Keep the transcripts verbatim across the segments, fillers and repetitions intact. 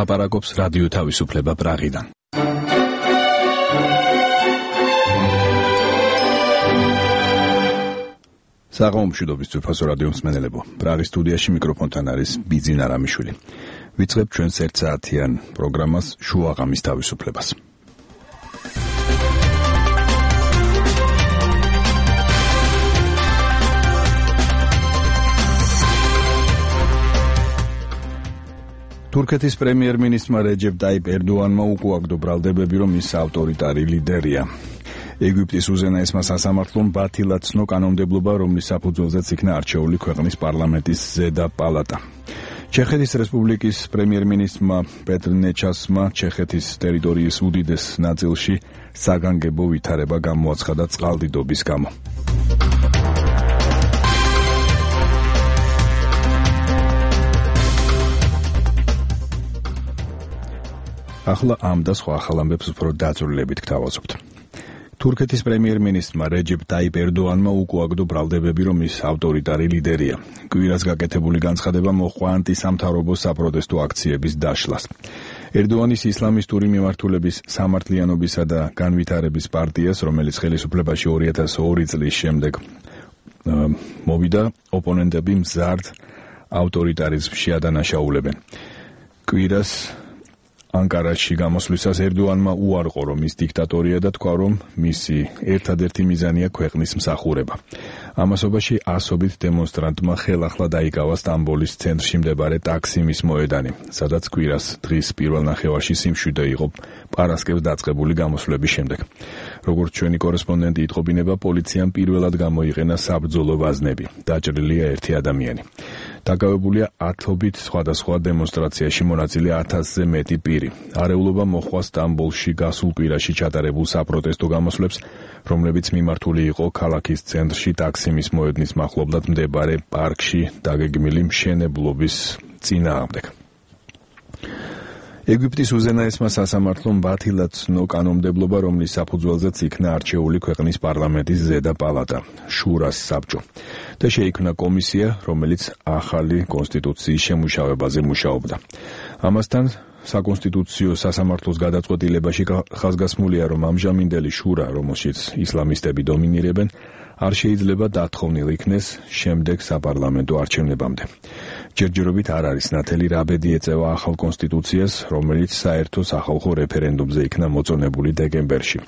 ლაპარაკობს რადიო თავისუფლება პრაღიდან. საღამომშვიდობის ძვირფასო რადიო მსმენელებო, პრაღის სტუდიაში მიკროფონთან არის ბიძინა რამიშვილი. ვიწყებთ ჩვენს ერთსაათიან პროგრამას შუაღამის თავისუფლებას. თურქეთის პრემიერ-მინისტრმა რეჯეპ ტაიპ ერდოანმა უკუაგდო ბრალდებები, რომ ის ავტორიტარი ლიდერია. ეგვიპტის უზენაესმა სასამართლომ ბათილა ცნო კანონმდებლობა, რომლის საფუძველზეც იქნა არჩეული ქვეყნის პარლამენტის ზედა პალატა. ჩეხეთის რესპუბლიკის პრემიერ-მინისტრმა პეტრ ნეჩასმა ჩეხეთის ტერიტორიის უდიდეს ნაწილში საგანგებო ვითარება გამოაცხადა წყალდიდობის გამო. ახლა ამ და სხვა ახალ ამბებს უფრო დაწვრილებით გთავაზობთ. თურქეთის პრემიერ-მინისტრმა რეჯეპ ტაიპ ერდოანმა უკუაგდო ბრალდებები, რომ ის ავტორიტარი ლიდერია. კვირას გაკეთებული განცხადება მოჰყვა ანტისამთავრობო საპროტესტო აქციების დაშლას. ერდოანის ისლამისტური მიმართულების სამართლიანობისა და განვითარების პარტიას, რომელიც ხელისუფლებაში ორი ათას ორი წლის შემდეგ მოვიდა, ოპონენტები მზარდ ავტორიტარიზმში ადანაშაულებენ. კვირას ანკარაში გამოსვლისას ერდოანმა უარყო, რომ ის დიქტატორია და თქვა, რომ მისი ერთადერთი მიზანია ქვეყნის მსახურება. ამასობაში ასობით დემონსტრანტმა ხელახლა დაიკავა სტამბოლის ცენტრში მდებარე ტაქსიმის მოედანი, სადაც კვირას დღის პირველ ნახევარში სიმშვიდე იყო პარასკევს დაწყებული გამოსვლების შემდეგ. როგორც ჩვენი კორესპონდენტი იტყობინება, პოლიციამ პირველად გამოიყენა საბრძოლო ვაზნები. დაჭრილია ერთი ადამიანი. დაკავებულია ათობით სხვადასხვა დემონსტრაციაში მონაწილე ათასზე მეტი პირი. არეულობა მოჰყვა სტამბოლში გასულ კვირაში ჩატარებულ საპროტესტო გამოსვლებს, რომლებიც მიმართული იყო ქალაქის ცენტრში ტაქსიმის მოედნის მახლობლად მდებარე პარკში დაგეგმილი მშენებლობის წინააღმდეგ. ეგვიპტის უზენაესმა სასამართლომ ბათილა ცნო კანონმდებლობა, რომლის საფუძველზეც იქნა არჩეული ქვეყნის პარლამენტის ზედა პალატა, შურას საბჭო. და შეიქმნა კომისია, რომელიც ახალი კონსტიტუციის შემუშავებაზე მუშაობდა. ამასთან საკონსტიტუციო სასამართლოს გადაწყვეტილებაში ხაზგასმულია, რომ ამჟამინდელი შურა, რომელშიც ისლამისტები დომინირებენ, არ შეიძლება დათხოვნილ იქნეს შემდეგ საპარლამენტო არჩევნებამდე. ჯერჯერობით არ არის ნათელი რა ბედი ეწევა ახალ კონსტიტუციას, რომელიც საერთო სახალხო რეფერენდუმზე იქნა მოწონებული დეკემბერში.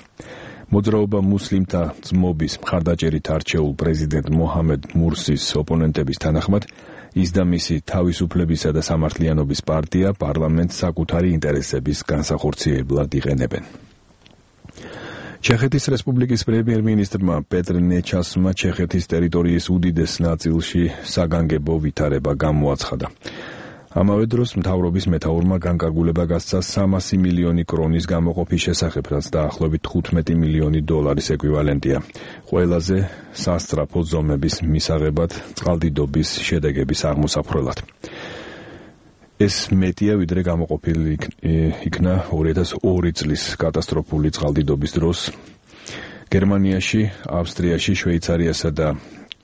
მოძრაობა მუსლიმთა ძმობის მხარდაჭერით არჩეულ პრეზიდენტ მოჰამედ მურსის ოპონენტების თანახმად, ის და მისი თავისუფლებისა და სამართლიანობის პარტია პარლამენტს საკუთარი ინტერესების განსახორციებლად იყენებენ. ჩეხეთის რესპუბლიკის პრემიერ-მინისტრმა პეტრ ნეჩასმა ჩეხეთის ტერიტორიის უდიდეს ნაწილში საგანგებო ვითარება გამოაცხადა. ამავე დროს მთავრობის მეთაურმა განკარგულება გასცა სამასი მილიონი კრონის გამოყოფის შესახებ, რაც დაახლოებით თხუთმეტი მილიონი დოლარის ეკვივალენტია. ყველაზე სასწრაფო ზომების მისაღებად წყალდიდობის შედეგების აღმოსაფრველად. ეს მეტია, ვიდრე გამოყოფილი იქნა ორი ათას ორი წლის კატასტროფული წყალდიდობის დროს. გერმანიაში, ავსტრიაში, შვეიცარიასა და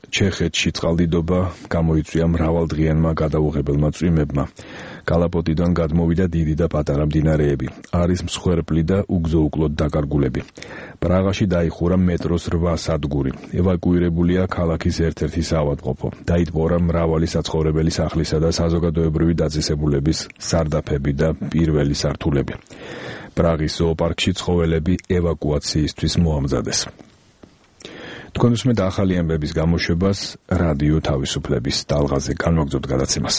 ჩეხეთში წყალდიდობა გამოიწვია მრავალდღიანმა გადაუღებელმა წვიმებმა. კალაპოტიდან გადმოვიდა დიდი და პატარა მდინარეები. არის მსხვერპლი და უგზო-უკლოდ დაკარგულები. პრაღაში დაიხურა მეტროს რვა სადგური. ევაკუირებულია ქალაქის ერთ-ერთი საავადმყოფო. დაიტბორა მრავალი საცხოვრებელი სახლისა და საზოგადოებრივი დაწესებულების სარდაფები და პირველი სართულები. პრაღის ზოოპარკში ცხოველები ევაკუაციისთვის მოამზადეს. თქვენ უსმენთ ახალი ამბების გამოშვებას რადიო თავისუფლების ტალღაზე. განვაგრძობთ გადაცემას.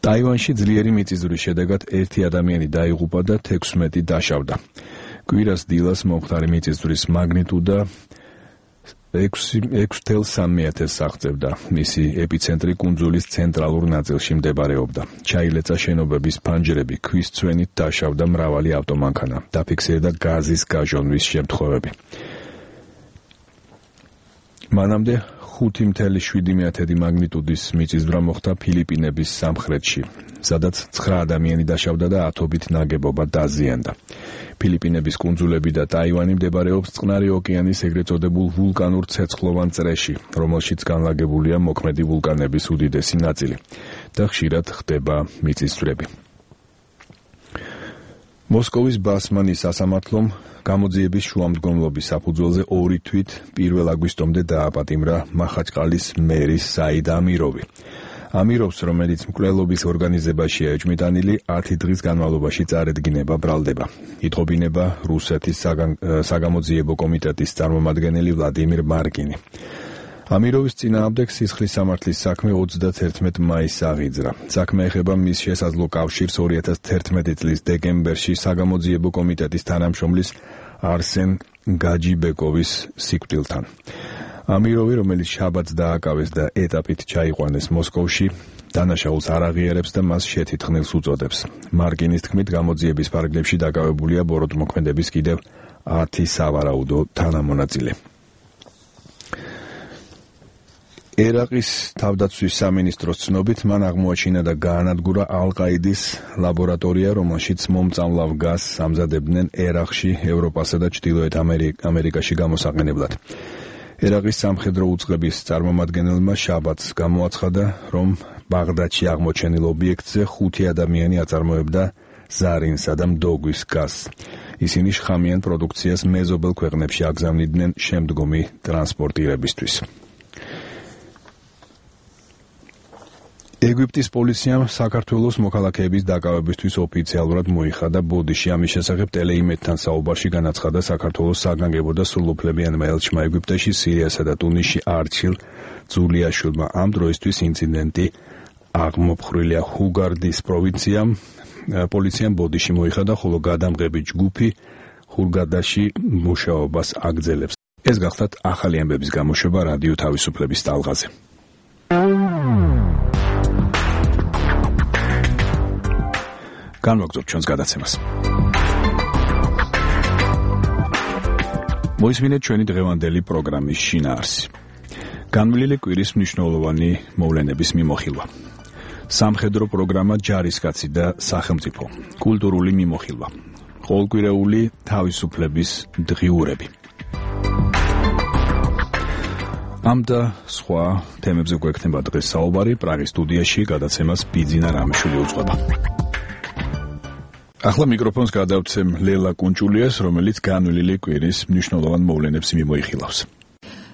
ტაივანში ძლიერი მიწისძვრის შედეგად ერთი ადამიანი დაიღუპა და თექვსმეტი დაშავდა. კვირას დილას მომხდარი მიწისძვრის მაგნიტუდა ექვსი ათას სამი ათასს აღწევდა. მისი ეპიცენტრი კუნძულის ცენტრალურ ნაწილში მდებარეობდა. ჩაილეცა შენობების ფანჯრები, ქვის ცვენით დაშავდა მრავალი ავტომანქანა. დაფიქსირდა გაზის გაჟონვის შემთხვევები. მანამდე ხუთი ათას შვიდი მაგნიტუდის მიწისძვრა მოხდა ფილიპინების სამხრეთში, სადაც ცხრა ადამიანი დაშავდა და ათობით ნაგებობა დაზიანდა. ფილიპინების კუნძულები და ტაივანი მდებარეობს წყნარი ოკეანის ეგრეთ წოდებულ ვულკანურ ცეცხლოვან წრეში, რომელშიც განლაგებულია მოქმედი ვულკანების უდიდესი ნაწილი და ხშირად ხდება მიწისძვრები. მოსკოვის ბასმანის სასამართლომ გამოძიების შუამდგომლობის საფუძველზე ორი თვით პირველ აგვისტომდე დააპატიმრა მახაჩყალის მერის საიდ ამიროვი. ამიროვს, რომელიც მკვლელობის ორგანიზებაშია ეჭვმიტანილი, ათი დღის განმავლობაში წარედგინება ბრალდება. ითხოვინება რუსეთის საგამოძიებო კომიტეტის წარმომადგენელი ვლადიმირ მარკინი. ამიროვის წინააღმდეგ სისხლის სამართლის საქმე ოცდათერთმეტ მაისს აღიძრა. საქმე ეხება მის შესაძლო კავშირს ორი ათას თერთმეტი წლის დეკემბერში საგამოძიებო კომიტეტის თანამშრომლის არსენ გაჯიბეკოვის სიკვდილთან. ამიროვი, რომელიც შაბათს დააკავეს და ეტაპით ჩაიყვანეს მოსკოვში, დანაშაულს არ აღიარებს და მას შეთითხნილს უწოდებს. მარკინის თქმით, გამოძიების ფარგლებში დაკავებულია ბოროტმოქმედების კიდევ ათი სავარაუდო თანამონაწილე. ერაყის თავდაცვის სამინისტროს ცნობით, მან აღმოაჩინა და გაანადგურა ალ-ყაიდის ლაბორატორია, რომელშიც მომწამლავ გაზს ამზადებდნენ ერაყში, ევროპასა და ჩრდილოეთ ამერიკაში გამოსაყენებლად. ერაყის სამხედრო უწყების წარმომადგენელმა შაბათს გამოაცხადა, რომ ბაღდადში აღმოჩენილ ობიექტზე ხუთი ადამიანი აწარმოებდა ზარინსა და მდოგვის გაზს. ისინი შხამიან პროდუქციას მეზობელ ქვეყნებში აგზავნიდნენ შემდგომი ტრანსპორტირებისთვის. ეგვიპტის პოლიციამ საქართველოს მოქალაქეების დაკავებისთვის ოფიციალურად მოიხადა ბოდიში. ამის შესახებ ტელეიმედთან საუბარში განაცხადა საქართველოს საგანგებო და სრულუფლებიანმა ელჩმა ეგვიპტეში, სირიასა და ტუნისში არჩილ ძულიაშვილმა. ამ დროისთვის ინციდენტი აღმოფხრილია ჰუგარდის პროვინციამ. პოლიციამ ბოდიში მოიხადა, ხოლო გადამღები ჯგუფი ჰურგადაში მუშაობას აგრძელებს. ეს გახლავთ ახალი ამბების გამოშვება რადიო თავისუფლების ტალღაზე. განვაგრძობთ ჩვენს გადაცემას. მოისმინეთ ჩვენი დღევანდელი პროგრამის შინაარსი. განვლილი კვირის მნიშვნელოვანი მოვლენების მიმოხილვა. სამხედრო პროგრამა ჯარისკაცი და სახელმწიფო. კულტურული მიმოხილვა. ყოველკვირეული თავისუფლების დღიურები. ამ და სხვა თემებზე გვექნება დღეს საუბარი. პრაღის სტუდიაში გადაცემას ბიძინა რამიშვილი უძღვება. ახლა მიკროფონს გადავცემ ლელა კუნჭულიას, რომელიც განვლილი კვირის მნიშვნელოვან მოვლენებს მიმოიხილავს.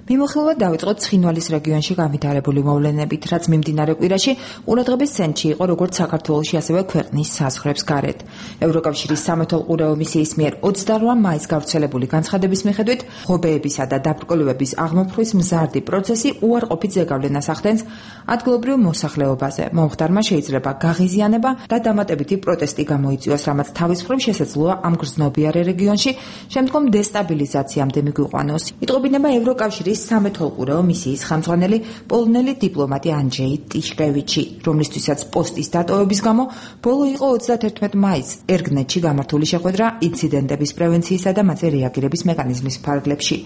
მიმოხილვა დავიწყოთ ცხინვალის რეგიონში განვითარებული მოვლენებით, რაც მიმდინარე კვირაში ყურადღების ცენტრში იყო როგორც საქართველოში, ასევე ქვეყნის საზღვრებს გარეთ. ევროკავშირის სამეთვალყურეო მისიის მიერ ოცდაოთხ მაისს გავრცელებული განცხადების მიხედვით, ღობეებისა და დაბრკოლებების აღმოფხვის მზარდი პროცესი უარყოფით ზეგავლენას ახდენს ადგილობრივ მოსახლეობაზე. მომხდარმა შეიძლება გაღიზიანება და დამატებითი პროტესტი გამოიწვიოს, რამაც თავის მხრივ შესაძლოა ამ გრძნობიარე რეგიონში შემდგომ დესტაბილიზაციამდე მიგვიყვანოს. იტყობინება ევროკავშირის სამეთვალყურეო მისიის ხელმძღვანელი პოლონელი დიპლომატი ანჯეი ტიშკევიჩი, რომლისთვისაც პოსტის დატოვების გამო ბოლო იყო ოცდათერთმეტ მაისს ერგნეთში გამართული შეხვედრა ინციდენტების პრევენციისა და მათზე რეაგირების მექანიზმის ფარგლებში.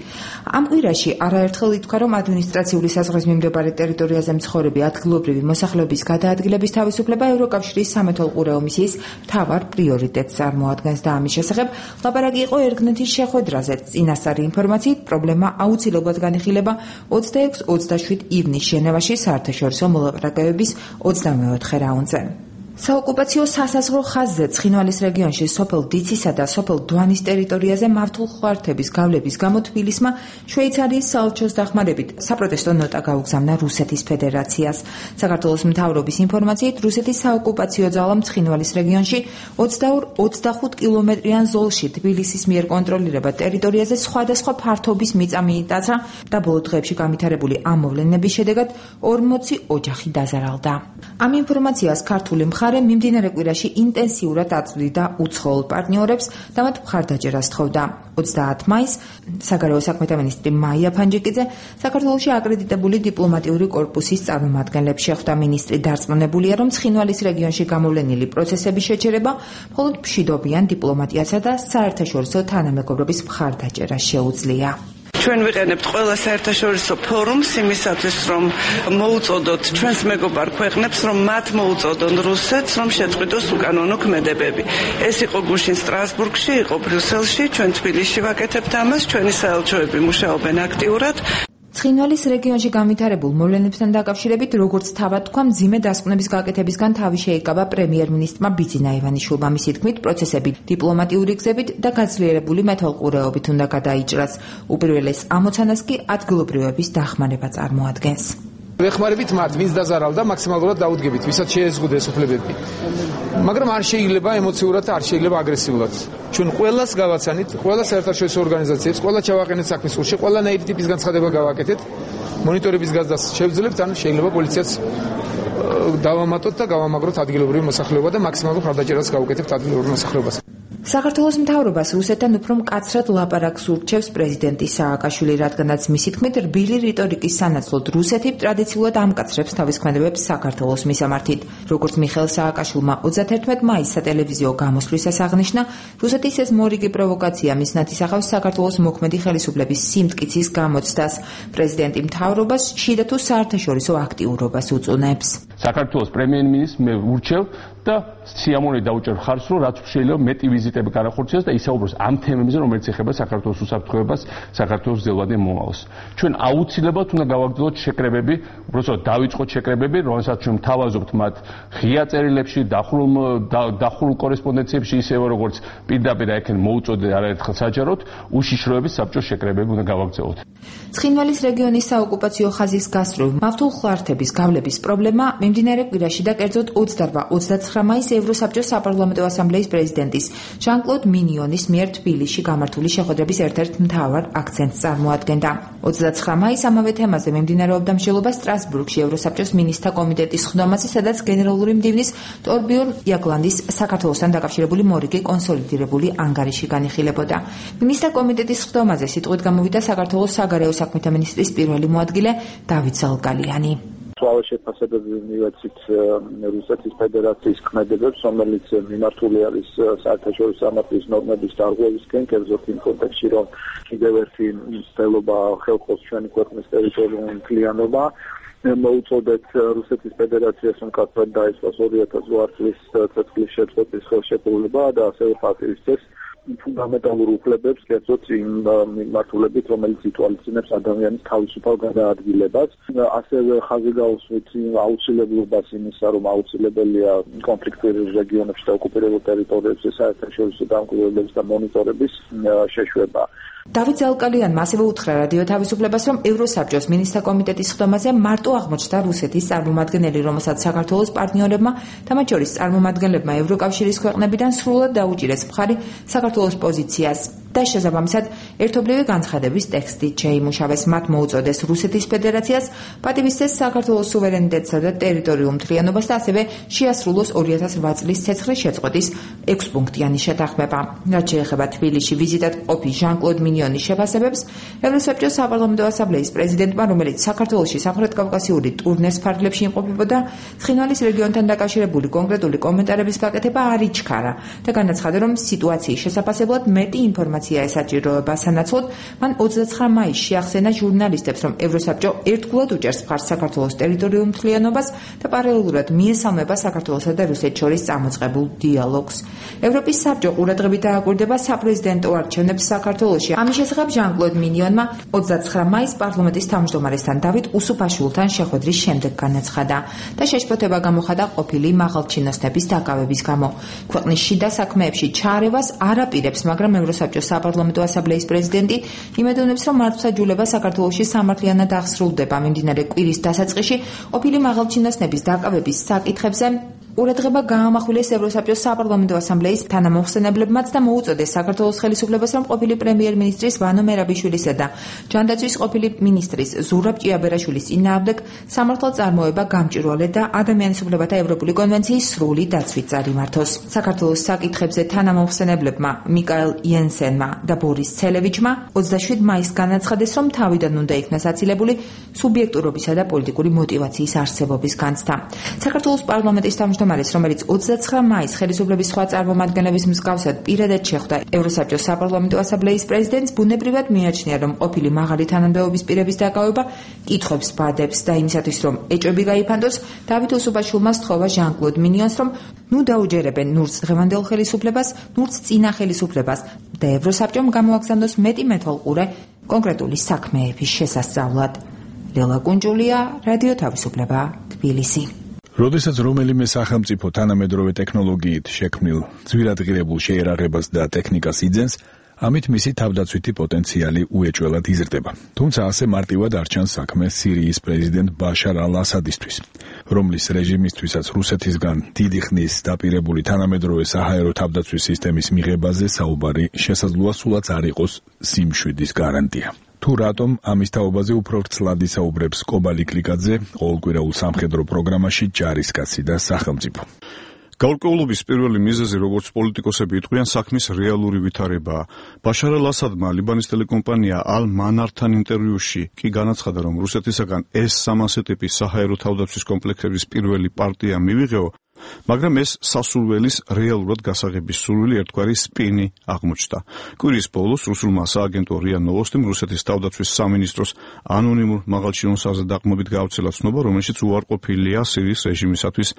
ამ კვირაში არაერთხელ ითქვა, რომ ადმინისტრაციული საზღვრის მიმდებარე ტერიტორიაზე მცხოვრები ადგილობრივი მოსახლეობის გადაადგილების თავისუფლება ევროკავშირის სამეთვალყურეო მისიის მთავარ პრიორიტეტს წარმოადგენს და ამის შესახებ ლაპარაკი იყო ერგნეთის შეხვედრაზე. წინასწარი ინფორმაციით, პრობლემა აუცილებლად განიხილება ოცდაექვსი ოცდაშვიდ ივნის ჟენევაში საერთაშორისო მოლაპარაკებების ოცდამეოთხე რაუნდზე. საოკუპაციო სასაზღვრო ხაზზე ცხინვალის რეგიონში სოფელ დიცისა და სოფელ დვანის ტერიტორიაზე მართლმხმართების გავლების გამო თბილისმა შვეიცარიის საელჩოს დახმარებით საპროტესტო ნოტა გაუგზავნა რუსეთის ფედერაციას. საქართველოს მთავრობის ინფორმაციით, რუსეთის საოკუპაციო ძალამ ცხინვალის რეგიონში ოცდაორი ოცდახუთ კილომეტრიან ზოლში თბილისის მიერ კონტროლირებად ტერიტორიაზე სხვადასხვა ფართობის მიწა მიიტაცა და ბოლო დღეებში განვითარებული ამ მოვლენების შედეგად ორმოცი ოჯახი დაზარალდა. ამ ინფორმაციას ქართული მხარე მიმდინარე კვირაში ინტენსიურად აწვდიდა უცხოელ პარტნიორებს და მათ მხარდაჭერას თხოვდა. ოცდაათი მაისს საგარეო საქმეთა მინისტრი მაია ფანჯიკიძე საქართველოში აკრედიტებული დიპლომატიური კორპუსის წარმომადგენლებს შეხვდა. მინისტრი დარწმუნებულია, რომ ცხინვალის რეგიონში გამოვლენილი პროცესების შეჩერება მხოლოდ მშვიდობიან დიპლომატიასა და საერთაშორისო თანამეგობრობის მხარდაჭერა შეუძლია. ჩვენ ვიყენებთ ყველა საერთაშორისო ფორუმს იმისათვის, რომ მოუწოდოთ ჩვენს მეგობარ ქვეყნებს, რომ მათ მოუწოდონ რუსეთს, რომ შეწყვიტოს უკანონო ქმედებები. ეს იყო გუშინ სტრასბურგში, იყო ბრიუსელში, ჩვენ თბილისში ვაკეთებთ ამას, ჩვენი საელჩოები მუშაობენ აქტიურად. ცხინვალის რეგიონში განვითარებულ მოვლენებთან დაკავშირებით, როგორც თავად თქვა, მძიმე დასკვნების გაკეთებისგან თავი შეიკავა პრემიერ-მინისტრმა ბიძინა ივანიშვილმა. მისი თქმით, პროცესები დიპლომატიური გზებით და გაძლიერებული მეთვალყურეობით უნდა გადაიჭრას. უპირველეს ამოცანას კი ადგილობრივების დახმარება წარმოადგენს. ვეხმარებით მათ, ვინც დაზარავდა, მაქსიმალურად დაუდგებით, ვისაც შეეზღუდეს უფლებები. მაგრამ არ შეიძლება ემოციურად და არ შეიძლება აგრესიულად. ჩვენ ყველას გავაცანით, ყველა საერთაშორისო ორგანიზაციებს, ყველა ჩავაყენეთ საქმის სურში, ყველანაირი ტიპის განცხადება გავაკეთეთ. მონიტორების გაზრდას შევძლებთ, ან შეიძლება პოლიციაც დავამატოთ და გავამაგროთ ადგილობრივი მოსახლეობა და მაქსიმალურ ხარდაჭერას გავუკეთებთ ადგილობრივ მოსახლეობას. საქართველოს მთავრობას რუსეთთან უფრო მკაცრად ლაპარაკს ურჩევს პრეზიდენტი სააკაშვილი, რადგანაც მისი თქმით, რბილი რიტორიკის სანაცვლოდ რუსეთი ტრადიციულად ამკაცრებს თავის ქმედებებს საქართველოს მისამართით. როგორც მიხეილ სააკაშვილმა ოცდაათერთმეტ მაისს სატელევიზიო გამოსვლისას აღნიშნა, რუსეთის ეს მორიგი პროვოკაცია მიზნად ისახავს საქართველოს მოქმედი ხელისუფლების სიმტკიცის გამოცდას. პრეზიდენტი მთავრობას შიდა თუ საერთაშორისო აქტიურობას უწუნებს. საქართველოს პრემიერ-მინისტრს მე ურჩევ და სიამოვნებით დაუჭერ ხარს, რომ რაც შეიძლება მეტი ვიზიტები განახორციელოს და ისაუბროს ამ თემებზე, რომელიც ეხება საქართველოს უსაფრთხოებას, საქართველოს ძელვადიან მომავალს. ჩვენ აუცილებლად უნდა გავაგრძელოთ შეკრებები, უბრალოდ დავიწყოთ შეკრებები, რომელსაც ჩვენ თავაზობთ მათ ღია წერილებში, დახურულ დახურულ კორესპონდენციებში, ისევე როგორც პირდაპირ აიქენ მოუწოდე არაერთხელ საჯაროდ, უშიშროების საბჭოს შეკრებები უნდა გავაგრძელოთ. ცხინვალის რეგიონის საოკუპაციო ხაზის გასწვრივ მავთულხლართების გავლების პრობლემა მიმდინარე კვირაში და კერძოდ ოცდარვა ოცდაცხრა მაისს ევროსაბჭოს საპარლამენტო ასამბლეის პრეზიდენტის ჟან-კლოდ მინიონის მიერ თბილისში გამართული შეხვედრების ერთ-ერთ მთავარ აქცენტს წარმოადგენდა. ოცდაცხრა მაისს ამავე თემაზე მიმდინარეობდა მსჯელობა სტრასბურგში ევროსაბჭოს მინისტრთა კომიტეტის ხდომაზე, სადაც გენერალური მდივნის ტორბიორნ იაგლანდის საქართველოსთან დაკავშირებული მორიგი კონსოლიდირებული ანგარიში განიხილებოდა. მინისტრთა კომიტეტის ხდომაზე სიტყვით გამოვიდა საქართველოს საგარეო საქმეთა მინისტრის პირველი მოადგილე დავით ზალკალიანი. სულ შეფასებები მივეცით რუსეთის ფედერაციის ქმედებებს, რომელიც მიმართული არის საერთაშორისო სამართლის ნორმების დარღვევისკენ, კერძოდ იმ კონტექსტში, რომ კიდევ ერთი მცდელობა ხელხოს ჩვენი ქვეყნის ტერიტორიული მთლიანობა. მოუწოდეთ რუსეთის ფედერაციას, რომ მკაცრად დაეწყოს ორი ათას ორი წლის ცეცხლის შეწყვეტის ხელშეკრულება და ასევე პატივისცეს ფუნდამენტალურ უფლებებს, კერძოდ იმ მიმართულებით, რომელიც ითვალისწინებს ადამიანის თავისუფალ გადაადგილებას. ასევე ხაზი გაუსვით აუცილებლობას იმისა, რომ აუცილებელია კონფლიქტურ რეგიონებში და ოკუპირებულ ტერიტორიებზე საერთაშორისო დამკვირვებლების და მონიტორების შეშვება. დავით ზალკალიანმა ასევე უთხრა რადიო თავისუფლებას, რომ ევროსაბჭოს მინისტრთა კომიტეტის ხდომაზე მარტო აღმოჩნდა რუსეთის წარმომადგენელი, რომელსაც საქართველოს პარტნიორებმა, თამათ შორის წარმომადგენლებმა ევროკავშირის ქვეყნებიდან სრულად დაუჭირეს მხარი საქართველოს პოზიციას და შესაბამისად ერთობლივი განცხადების ტექსტით შეიმუშავეს. მათ მოუწოდეს რუსეთის ფედერაციას პატივისცეს საქართველოს სუვერენიტეტსა და ტერიტორიულ მთლიანობას და ასევე შეასრულოს ორი ათას რვა წლის ცეცხლის შეწყვეტის ექვსპუნქტიანი შეთანხმება. რაც შეეხება თბილისში ვიზიტად ყოფი ჟან-კლოდ მინიონის შეფასებებს, ევროსაბჭოს საპარლამენტო ასამბლეის პრეზიდენტმა, რომელიც საქართველოში სამხრეთ-კავკასიური ტურნეს ფარგლებში იმყოფებოდა, ცხინვალის რეგიონთან დაკავშირებული კონკრეტული კომენტარების გაკეთება არ იჩქარა და განაცხადა, რომ სიტუაციის შესაფასებლად მეტი ინფორმაცია ესაჭიროება. სანაცვლოდ, მან ოცდაცხრა მაისს შეახსენა ჟურნალისტებს, რომ ევროსაბჭო ერთგულად უჭერს მხარს საქართველოს ტერიტორიულ მთლიანობას და პარალელურად მიესალმება საქართველოსა და რუსეთს შორის წამოწყებულ დიალოგს. ევროპის საბჭო ყურადღებით დააკვირდება საპრეზიდენტო არჩევნებს საქართველოში. ამის შესახებ ჟან-კლოდ მინიონმა ოცდაცხრა მაისს პარლამენტის თავმჯდომარესთან დავით უსუფაშვილთან შეხვედრის შემდეგ განაცხადა და შეშფოთება გამოხატა ყოფილი მაღალჩინოსნების დაკავების გამო. ქვეყნის შიდა საქმეებში ჩაარევას არ აპირებს, მაგრამ ევროსაბჭოს საპარლამენტო ასამბლეის პრეზიდენტი იმედოვნებს, რომ მართლმსაჯულება საქართველოში სამართლიანად აღსრულდება. მიმდინარე კვირის დასაწყისში ყოფილი მაღალჩინოსნების დაკავების საკითხებზე ყურადღება გაამახვილეს ევროსაბჭოს საპარლამენტო ასამბლეის თანამოხსენებლებმაც და მოუწოდეს საქართველოს ხელისუფლებას, რომ ყოფილი პრემიერ-მინისტრის ვანო მერაბიშვილისა და ჯანდაცვის ყოფილი მინისტრის ზურაბ ჭიაბერაშვილის წინააღმდეგ სამართალწარმოება გამჭვირვალე და ადამიანის უფლებათა ევროპული კონვენციის სრული დაცვით წარიმართოს. საქართველოს საკითხებზე თანამოხსენებლებმა მიკაელ იენსენმა და ბორის ცელევიჩმა ოცდაშვიდ მაისს განაცხადეს, რომ თავიდან უნდა იქნას აცილებული სუბიექტურობისა და პოლიტიკური მოტივაციის არსებობის განცდა. საქართველოს პარლამენტის თავმჯდომარეს, რომელიც ოცდაცხრა მაისს ხელისუფლების სხვა წარმომადგენლების მსგავსად პირადად შეხვდა ევროსაბჭოს საპარლამენტო ასამბლეის პრეზიდენტს, ბუნებრივად მიაჩნია, რომ ყოფილი მაღალი თანამდებობის პირების დაკავება კითხვებს ბადებს და იმისათვის, რომ ეჭვები გაიფანტოს, დავით უსუფაშვილმა სთხოვა ჟან-კლოდ მინიონს, რომ ნუ დაუჯერებენ ნურს დღევანდელ ხელისუფლებას, ნურს წინა ხელისუფლებას და ევროსაბჭომ გამოაგზავნოს მეტი მეთვალყურე კონკრეტული საქმეების შესასწავლად. ლელა კუნჯულია, რადიო თავისუფლება, თბილისი. როდესაც რომელიმე სახელმწიფო თანამედროვე ტექნოლოგიით შექმნილ ძვირადღირებულ შეერაღებას და ტექნიკას იძენს, ამით მისი თავდაცვითი პოტენციალი უეჭველად იზრდება. თუმცა ასე მარტივად არ ჩანს საქმე სირიის პრეზიდენტ ბაშარ ალ-ასადისთვის, რომლის რეჟიმისთვისაც რუსეთისგან დიდი ხნის დაპირებული თანამედროვე საჰაერო თავდაცვის სისტემის მიღებაზე საუბარი შესაძლოა სულაც არ იყოს სიმშვიდის გარანტია. თუ რატომ ამის თაობაზე უფრო ვრცლად ისაუბრებს კობალი კლიკაძე ყოველკვირეულ სამხედრო პროგრამაში ჯარისკაცი და სახელმწიფო. გაურკვევლობის პირველი მიზეზი, როგორც პოლიტიკოსები იტყვიან, საქმის რეალური ვითარებაა. ბაშარ ალ-ასადმა ლიბანის ტელეკომპანია ალ-მანართან ინტერვიუში კი განაცხადა, რომ რუსეთისაგან ეს სამასე ტიპის საჰაერო თავდაცვის კომპლექსების პირველი პარტია მივიღეო, მაგრამ ეს სასურველის რეალურად გასაღების სურვილი ერთგვარი სპინი აღმოჩნდა. კვირის ბოლოს რუსულმა სააგენტო რია ნოვოსტიმ რუსეთის თავდაცვის სამინისტროს ანონიმურ მაღალჩინოსაზე დაყრდნობით გავრცელა ცნობა, რომელშიც უარყოფილია სირიის რეჟიმისათვის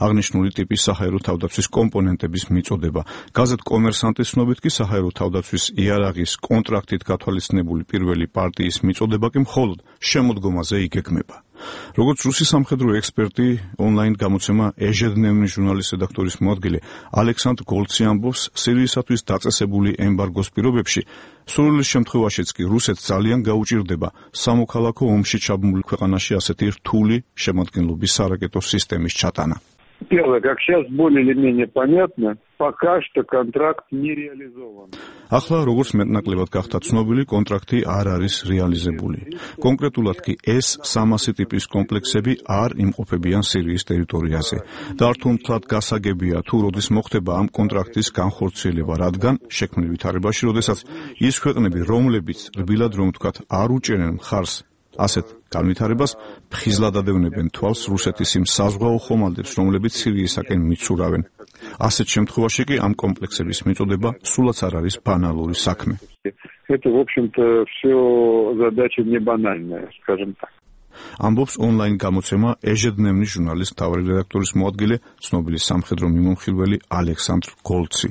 აღნიშნული ტიპის საჰაერო თავდაცვის კომპონენტების მიწოდება. გაზეთ კომერსანტის ცნობით კი საჰაერო თავდაცვის იარაღის კონტრაქტით გათვალისწინებული პირველი პარტიის მიწოდება კი მხოლოდ შემოდგომაზე იგეგმება. როგორც რუსი სამხედრო ექსპერტი ონლაინ გამოცემა ეჟედნევნი ჟურნალის რედაქტორის მოადგილე ალექსანდრ გოლცი ამბობს, სირიისათვის დაწესებული ემბარგოს პირობებში სურვილის შემთხვევაშიც კი რუსეთს ძალიან გაუჭირდება სამოქალაქო ომში ჩაბმული ქვეყანაში ასეთი რთული შემადგენლობის სარაკეტო სისტემის ჩატანა. Первое, как сейчас более или менее понятно, пока что контракт не реализован. ახლა როგორც მეტნაკლებად გახდა ცნობილი, კონტრაქტი არ არის რეალიზებული. კონკრეტულად კი ეს სამასე ტიპის კომპლექსები არ იმყოფებიან სირიის ტერიტორიაზე. და არ თუმთლად გასაგებია თუ როდის მოხდება ამ კონტრაქტის განხორციელება, რადგან შექმნილ ვითარებაში, როდესაც ის ქვეყნები, რომლებიც რბილად რომ ვთქვათ, არ უჭერენ მხარს ასეთ განვითარებას, ფხიზლად ადევნებენ თვალს რუსეთის იმ საზღვაო ხომალდებს, რომლებიც სირიისაკენ მიცურავენ. ასეთ შემთხვევაში კი ამ კომპლექსების მიწოდება სულაც არ არის ბანალური საქმე. Это, в общем-то, все задача не банальная, скажем так. ამბობს ონლაინ გამოცემა ეჟედნევნი ჟურნალის მთავარი რედაქტორის მოადგილე, ცნობილი სამხედრო მიმომხილველი ალექსანდრ გოლცი.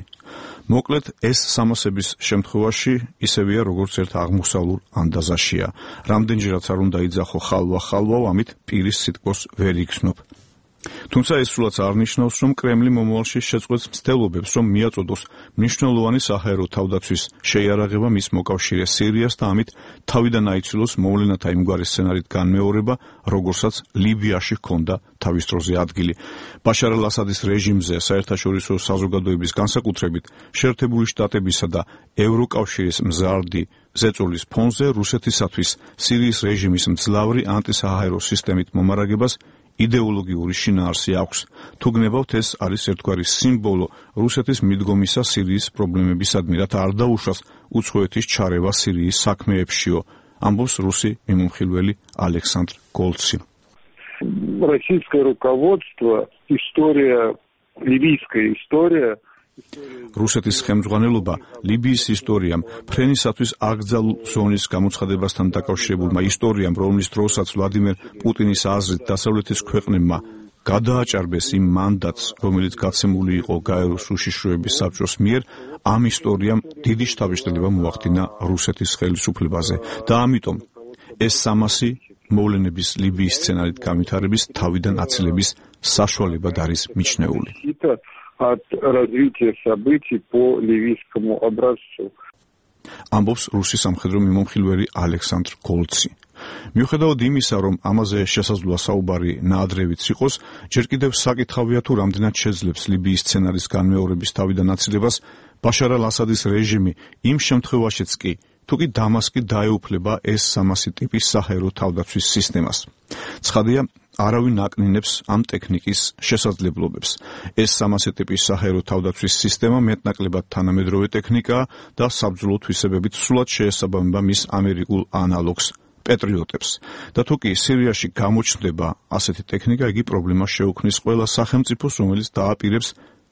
მოკლედ, ეს სამასების შემთხვევაში ისევია, როგორც ერთ აღმოსავლურ ანდაზაშია. რამდენჯერაც არ უნდა იძახო ხალვა-ხალვაო, ამით პირის სიტყვას ვერ იგრძნობ. თუმცა ეს სულაც არ ნიშნავს, რომ კრემლი მომავალში შეწყვეტს მცდელობებს, რომ მიაწოდოს მნიშვნელოვანი საჰაერო თავდაცვის შეიარაღება მის მოკავშირე სირიას და ამით თავიდან აიცილოს მოვლენათა იმგვარი სცენარით განმეორება, როგორსაც ლიბიაში ჰქონდა თავის დროზე ადგილი. ბაშარ ალ-ასადის რეჟიმზე საერთაშორისო საზოგადოების განსაკუთრებით შეერთებული შტატებისა და ევროკავშირის მზარდი ზეწოლის ფონზე რუსეთისათვის სირიის რეჟიმის მძლავრი ანტისაჰაერო სისტემით მომარაგებას იდეოლოგიური შინაარსი აქვს. თუ გნებავთ, ეს არის ერთგვარი სიმბოლო რუსეთის მიდგომისა სირიის პრობლემებისადმი, რათა არ დაუშვას უცხოეთის ჩარევა სირიის საქმეებშიო, ამბობს რუსი მიმომხილველი ალექსანდრ გოლცი. Российское руководство, история, ливийская история რუსეთის ხელმძღვანელობა ლიბიის ისტორიამ, ფრენისათვის აკრძალულ ზონის გამოცხადებასთან დაკავშირებულმა ისტორიამ, რომლის დროსაც ვლადიმერ პუტინის აზრით დასავლეთის ქვეყნებმა გადააჭარბეს იმ მანდატს, რომელიც გაცემული იყო გაეროს უშიშროების საბჭოს მიერ, ამ ისტორიამ დიდი შთაბეჭდილება მოახდინა რუსეთის ხელისუფლებაზე და ამიტომ ეს სამასი მოვლენების ლიბიის სცენარით განვითარების თავიდან აცილების საშუალებად არის მიჩნეული. от развития событий по ливийскому образцу. ამბობს რუსი სამხედრო მიმომხილველი ალექსანდრ გოლცი. მიუხედავად იმისა, რომ ამაზე შესაძლოა საუბარი ნაადრევიც იყოს, ჯერ კიდევ საკითხავია თუ რამდენად შეძლებს ლიბიის სცენარის განმეორების თავიდან აცილებას ბაშარ ალ-ასადის რეჟიმი იმ შემთხვევაშიც კი, თუ კი დამასკი დაეუფლება ეს სამასი ტიპის საჰაერო თავდაცვის სისტემას. ცხადია, არავინ აკნინებს ამ ტექნიკის შესაძლებლობებს. ეს სამასი ტიპის საჰაერო თავდაცვის სისტემა მეტნაკლებად თანამედროვე ტექნიკაა და საბრძოლო თვისებებით სულად შეესაბამება მის ამერიკულ ანალოგს პეტრიოტებს. და თუ კი სირიაში გამოჩნდება ასეთი ტექნიკა, იგი პრობლემას შეუქმნის ყველა სახელმწიფოს, რომელიც დააპირებს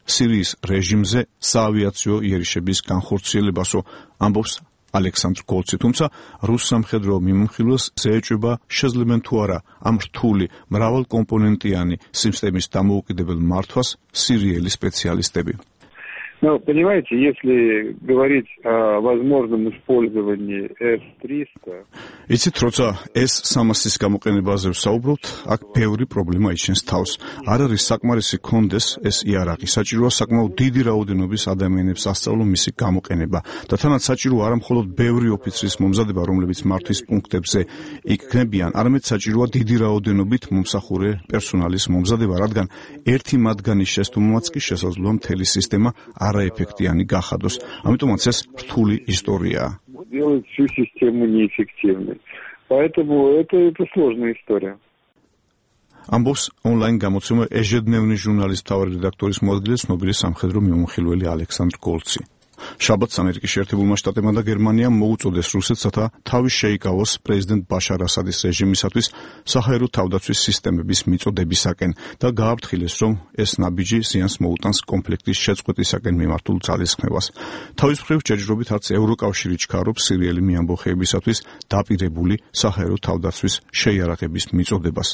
სირიის რეჟიმზე საავიაციო იერიშების განხორციელებასო, ამბობს ალექსანდრ გოლცი. თუმცა რუს სამხედრო მიმომხილველს შეეჭვება შეძლებენ თუ არა ამ რთული მრავალკომპონენტიანი სისტემის დამოუკიდებელ მართვას სირიელი სპეციალისტები. Ну, понимаете, если говорить о возможном использовании эс триста... იცით, როცა ეს სამასის გამოყენებაზე ვსაუბრობთ, აქ ბევრი პრობლემა იჩენს თავს. არ არის საკმარისი კონდეს ეს იარაღი. საჭიროა საკმაოდ დიდი რაოდენობის ადამიანებს ასწავლონ მისი გამოყენება და თანაც საჭიროა არა მხოლოდ ბევრი ოფიცრის მომზადება, რომლებიც მართვის პუნქტებზე იქნებიან, არამედ საჭიროა დიდი რაოდენობით მომსახურე პერსონალის მომზადება, რადგან ერთი მათგანის შესტუმრომაც კი შესაძლოა მთელი სისტემა არაეფექტიანი გახადოს. ამიტომაც ეს რთული ისტორიაა. Делать всю систему неэффективной. Поэтому это, это сложная история. ამბობს ონლაინ გამოცემა ეჟედნევნის ჟურნალის მთავარი რედაქტორის მოადგილე ცნობილი სამხედრო მიმომხილველი ალექსანდრ გოლცი. შაბათს ამერიკის შეერთებულმა შტატებმა და გერმანიამ მოუწოდეს რუსეთს, რათა თავი შეიკავოს პრეზიდენტ ბაშარ ასადის რეჟიმისათვის საჰაერო თავდაცვის სისტემების მიწოდებისაკენ და გააფრთხილეს, რომ ეს ნაბიჯი ზიანს მოუტანს კონფლიქტის შეწყვეტისაკენ მიმართულ ძალისხმევას. თავის მხრივ ჯერჯერობით არც ევროკავშირი ჩქარობს სირიელი მიამბოხეებისათვის დაპირებული საჰაერო თავდაცვის შეიარაღების მიწოდებას.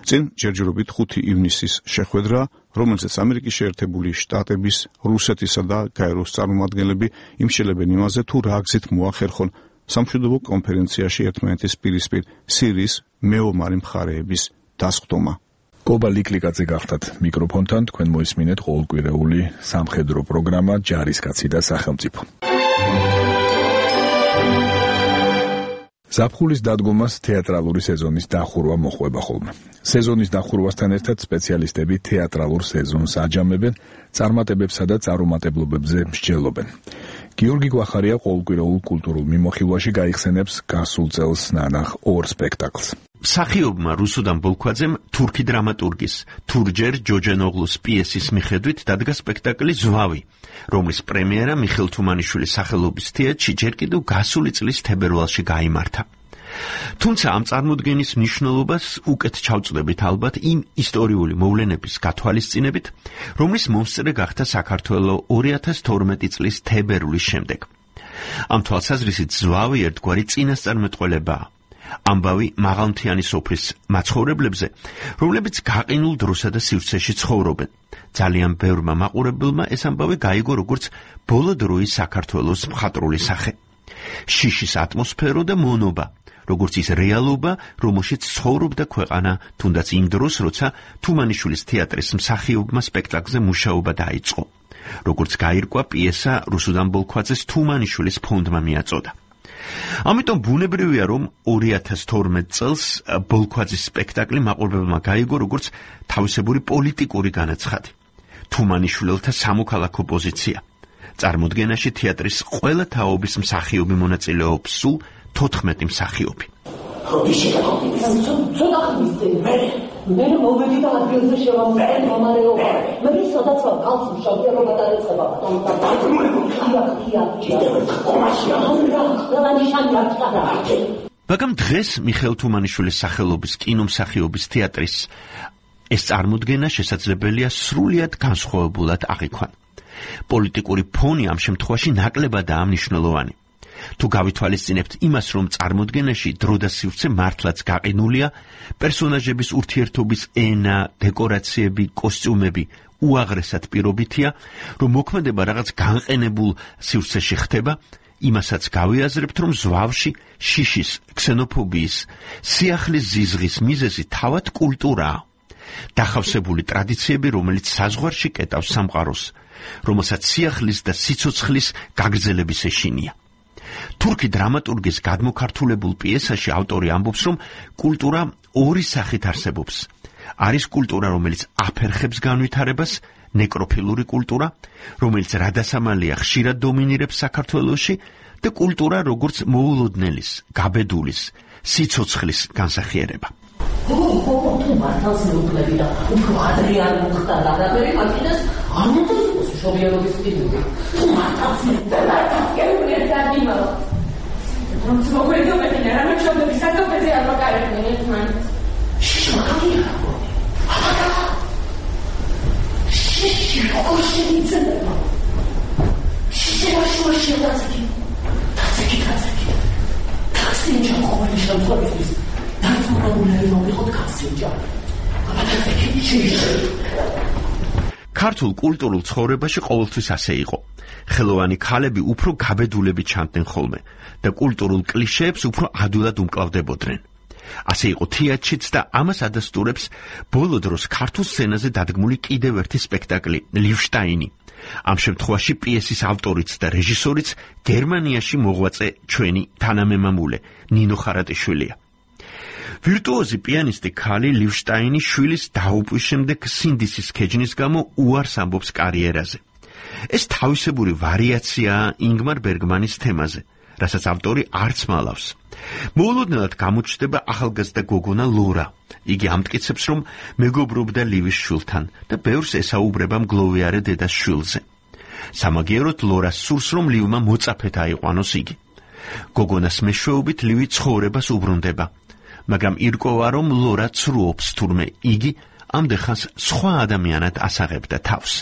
წინ ჯერჯერობით ხუთი ივნისის შეხვედრა, რომელზეც ამერიკის შეერთებული შტატების, რუსეთისა და გაეროს წარმომადგენლები იმშელებენ იმაზე, თუ რა გზით მოახერხონ სამშვიდობო კონფერენციაში ერთმანეთის პირისპირ სირიის მეომარი მხარეების დასხდომა. კობა ლიკლიკაძე გახდათ მიკროფონთან, თქვენ მოისმინეთ ყოველკვირეული სამხედრო პროგრამა ჯარისკაცი და სახელმწიფო. ზაფხულის დადგომას თეატრალური სეზონის დახურვა მოხვება ხოლმე. სეზონის დახურვასთან ერთად სპეციალისტები თეატრალურ სეზონს აჯამებენ, წარმატებებსა და წარუმატებლობებზე მსჯელობენ. გიორგი გვახარია ყოველკვირეულ კულტურულ მიმოხილვაში გაიხსენებს გასულ წელს ნანახ ორ სპექტაკლს. მსახიობმა რუსუდან ბოლქვაძემ თურქი დრამატურგის თურჯერ ჯოჯენოღლუს პიესის მიხედვით დადგა სპექტაკლი ზვავი, რომლის პრემიერა მიხეილ თუმანიშვილის სახელობის თეატრში ჯერ კიდევ გასული წლის თებერვალში გაიმართა. თუმცა ამ წარმოდგენის მნიშვნელობას უკეთ ჩავწვდებით ალბათ იმ ისტორიული მოვლენების გათვალისწინებით, რომლის მომსწრე გახდა საქართველო ორი ათას თორმეტი წლის თებერვლის შემდეგ. ამ თვალსაზრისით ზვავი ერთგვარი წინასწარმეტყველებაა. ამბავი მაღალმთიანი სოფლის მაცხოვრებლებზე, რომლებიც გაყინულ დროსა და სივრცეში ცხოვრობენ. ძალიან ბევრმა მაყურებელმა ეს ამბავი გაიგო როგორც ბოლო დროის საქართველოს მხატვრული სახე. შიშის ატმოსფერო და მონობა, როგორც ის რეალობა, რომელშიც ცხოვრობდა ქვეყანა, თუნდაც იმ დროს, როცა თუმანიშვილის თეატრის მსახიობმა სპექტაკლზე მუშაობა დაიწყო. როგორც გაირკვა პიესა რუსუდან ბოლქვაძეს თუმანიშვილის ფონდმა მიაწოდა. ამიტომ ბუნებრივია, რომ ორი ათას თორმეტ წელს ბოლქვაძის სპექტაკლი მაყურებელმა გაიგო როგორც თავისებური პოლიტიკური განაცხადი. თუმანიშვილთა სამოქალაქო პოზიცია. წარმოდგენაში თეატრის ყველა თაობის მსახიობი მონაწილეობს, სულ თოთხმეტი მსახიობი. მე მოვედი და ადგილზე შევამწირე მომარეობა. მე სადაც ვარ, კალს მშობია რომ გადაეცება. მაგრამ დღეს მიხეილ თუმანიშვილის სახელობის კინომსახიობის თეატრის ეს წარმოდგენა შესაძლებელია სრულიად განსხვავებულად აღიქვან. პოლიტიკური ფონი ამ შემთხვევაში ნაკლებადაა მნიშვნელოვანი. თუ გავითვალისწინებთ იმას, რომ წარმოდგენაში დრო და სივრცე მართლაც გაყინულია, პერსონაჟების ურთიერთობის ენა, დეკორაციები, კოსტიუმები უაღრესად პირობითია, რომ მოქმედება რაღაც განყენებულ სივრცეში ხდება, იმასაც გავიაზრებთ, რომ ზვავში შიშის, ქსენოფობიის, სიახლის ზიზღის მიზეზი თავად კულტურაა. დახავსებული ტრადიციები, რომელიც საზღვარში კეტავს სამყაროს, რომელსაც სიახლის და სიცოცხლის გაგრძელების ეშინია. თურქი დრამატურგის გადმოქართულებულ პიესაში ავტორი ამბობს, რომ კულტურა ორი სახით არსებობს. არის კულტურა, რომელიც აფერხებს განვითარებას, ნეკროფილური კულტურა, რომელიც რადასამალია ხშირად დომინირებს საქართველოში, და კულტურა, როგორც მოულოდნელის, გაბედულის, სიცოცხლის განსახიერება. თუ მართალს მეუკლები და უფრო ადრიან მოხდა გადაბერი მაშინას არ უნდა იყოს მშობიარობის სტიმული. თუ მართალს მეუკლები და დაგიმარო. რომ მოგვედო მე რა მშობიარობის საკუთრებზე არ მოკარებდნენ ერთმანეთს. შიშმაკია. შიში ოშინიცება. შიში ოშინიცება. თაციკი თაციკი. თაცინჯა ყოველი შემთხვევაში ქართულ კულტურულ ცხოვრებაში ყოველთვის ასე იყო. ხელოვანი ქალები უფრო გაბედულებით ჩანდნენ ხოლმე და კულტურულ კლიშეებს უფრო ადვილად უმკლავდებოდნენ. ასე იყო თეატრშიც და ამას ადასტურებს ბოლო დროს ქართულ სცენაზე დადგმული კიდევ ერთი სპექტაკლი ლივშტაინი. ამ შემთხვევაში პიესის ავტორიც და რეჟისორიც გერმანიაში მოღვაწე ჩვენი თანამემამულე ნინო ხარატიშვილია. ვირტუოზი პიანისტი ქალი ლივშტაინი შვილის დაუპვის შემდეგ სინდისის ქეჯნის გამო უარს ამბობს კარიერაზე. ეს თავისებური ვარიაციაა ინგმარ ბერგმანის თემაზე, რასაც ავტორი არც მალავს. მოულოდნელად გამოჩნდება ახალგაზრდა გოგონა ლორა. იგი ამტკიცებს, რომ მეგობრობდა ლივის შვილთან და ბევრს ესაუბრება მგლოვიარე დედას შვილზე. სამაგიეროდ ლორას სურს, რომ ლივმა მოწაფედ აიყვანოს იგი. გოგონას მეშვეობით ლივი ცხოვრებას უბრუნდება, მაგრამ ირკვევა, რომ ლორა ცრუობს, თურმე იგი ამდენხანს სხვა ადამიანად ასაღებდა თავს.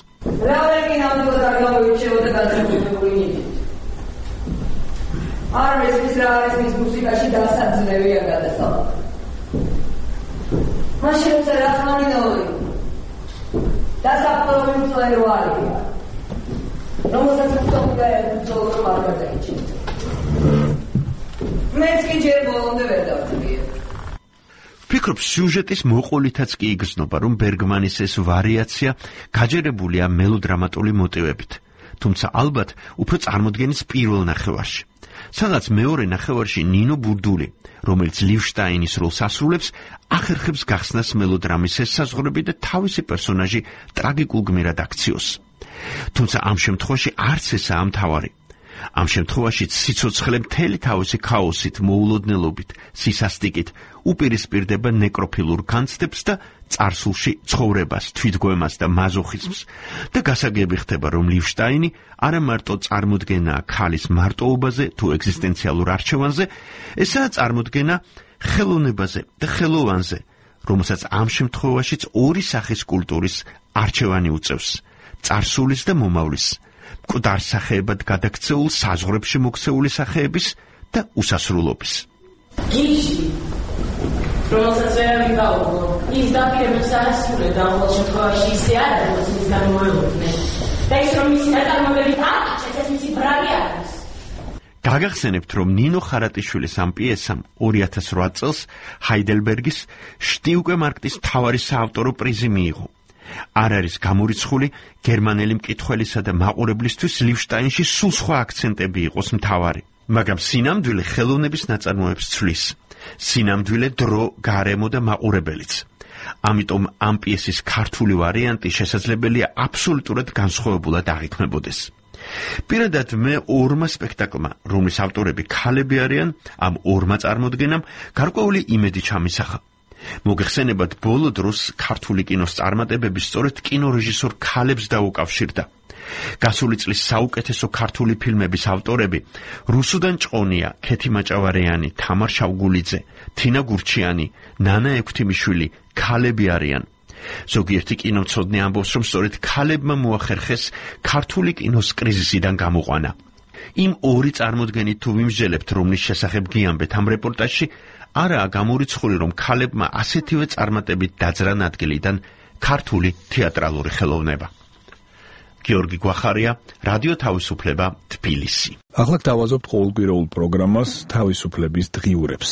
არ მესმის რა არის მის მუსიკაში დასაძლევია გადასავალ. მაშინ წერა ხანინოი. დასაფლავი მწვერვალია. რომელსაც უწოვდა უწოვდა მარგაძეიჩი. მეც კი ჯერ ბოლომდე ვერ დავწვიე. ვფიქრობ, სიუჟეტის მოყოლითაც კი იგრძნობა, რომ ბერგმანის ეს ვარიაცია გაჯერებულია მელოდრამატული მოტივებით, თუმცა ალბათ უფრო წარმოდგენის პირველ ნახევარში. სადაც მეორე ნახევარში ნინო ბურდული, რომელიც ლივშტაინის როლს ასრულებს, ახერხებს გახსნას მელოდრამის ესაზღვრები და თავისი პერსონაჟი ტრაგიკულ გმირად აქციოს. თუმცა ამ შემთხვევაში არც ესაა მთავარი. ამ შემთხვევაში სიცოცხლე მთელი თავისი ქაოსით, მოულოდნელობით, სისასტიკით უპირისპირდება ნეკროფილურ განცდებს და წარსულში ცხოვრებას, თვითგვემას და მაზოხიზმს და გასაგები ხდება, რომ ლივშტაინი არა მარტო წარმოდგენაა ქალის მარტოობაზე თუ ეგზისტენციალურ არჩევანზე, ესაა წარმოდგენა ხელოვნებაზე და ხელოვანზე, რომელსაც ამ შემთხვევაშიც ორი სახის კულტურის არჩევანი უწევს: წარსულის და მომავლის, მკვდარ სახეებად გადაქცეულ საზღვრებში მოქცეული სახეების და უსასრულობის. გიში რომელსაც ვერ ვიკავო, ის დაპირებებს არ ასრულებდა, ყოველ შემთხვევაში ისე არ არის, ის გამოელოდნენ. და ის რომ მისი ნაწარმოებები აკიჩეს, ეს მისი ბრალი არის. გაგახსენებთ, რომ ნინო ხარატიშვილის ამ პიესამ ორი ათას რვა წელს ჰაიდელბერგის შტიუკე მარკტის მთავარი საავტორო პრიზი მიიღო. არ არის გამორიცხული გერმანელი მკითხველისა და მაყურებლისთვის ლივშტაინში სულ სხვა აქცენტები იყოს მთავარი, მაგრამ სინამდვილე ხელოვნების ნაწარმოებს ცვლის. სინამდვილე დრო, გარემო და მაყურებელიც. ამიტომ ამ პიესის ქართული ვარიანტი შესაძლებელია აბსოლუტურად განსხვავებულად აღიქმებოდეს. პირადად მე ორმა სპექტაკლმა, რომლის ავტორები ქალები არიან, ამ ორმა წარმოდგენამ გარკვეული იმედი ჩამისახა. მოგეხსენებათ, ბოლო დროს ქართული კინოს წარმატებები სწორედ კინორეჟისორ ქალებს დაუკავშირდა. გასული წლის საუკეთესო ქართული ფილმების ავტორები რუსუდან ჭყონია, ქეთი მაჭავარიანი, თამარ შავგულიძე, თინა გურჩიანი, ნანა ექვთიმიშვილი ქალები არიან. ზოგიერთი კინომცოდნე ამბობს, რომ სწორედ ქალებმა მოახერხეს ქართული კინოს კრიზისიდან გამოყვანა. იმ ორი წარმოდგენით თუ ვიმსჯელებთ, რომლის შესახებ გიამბეთ ამ რეპორტაჟში, არაა გამორიცხული, რომ ქალებმა ასეთივე წარმატებით დაძრან ადგილიდან ქართული თეატრალური ხელოვნება. გიორგი გვახარია, რადიო თავისუფლება, თბილისი. ახლა გავაზობთ ყოველკვირეულ პროგრამას თავისუფლების დღიურებს.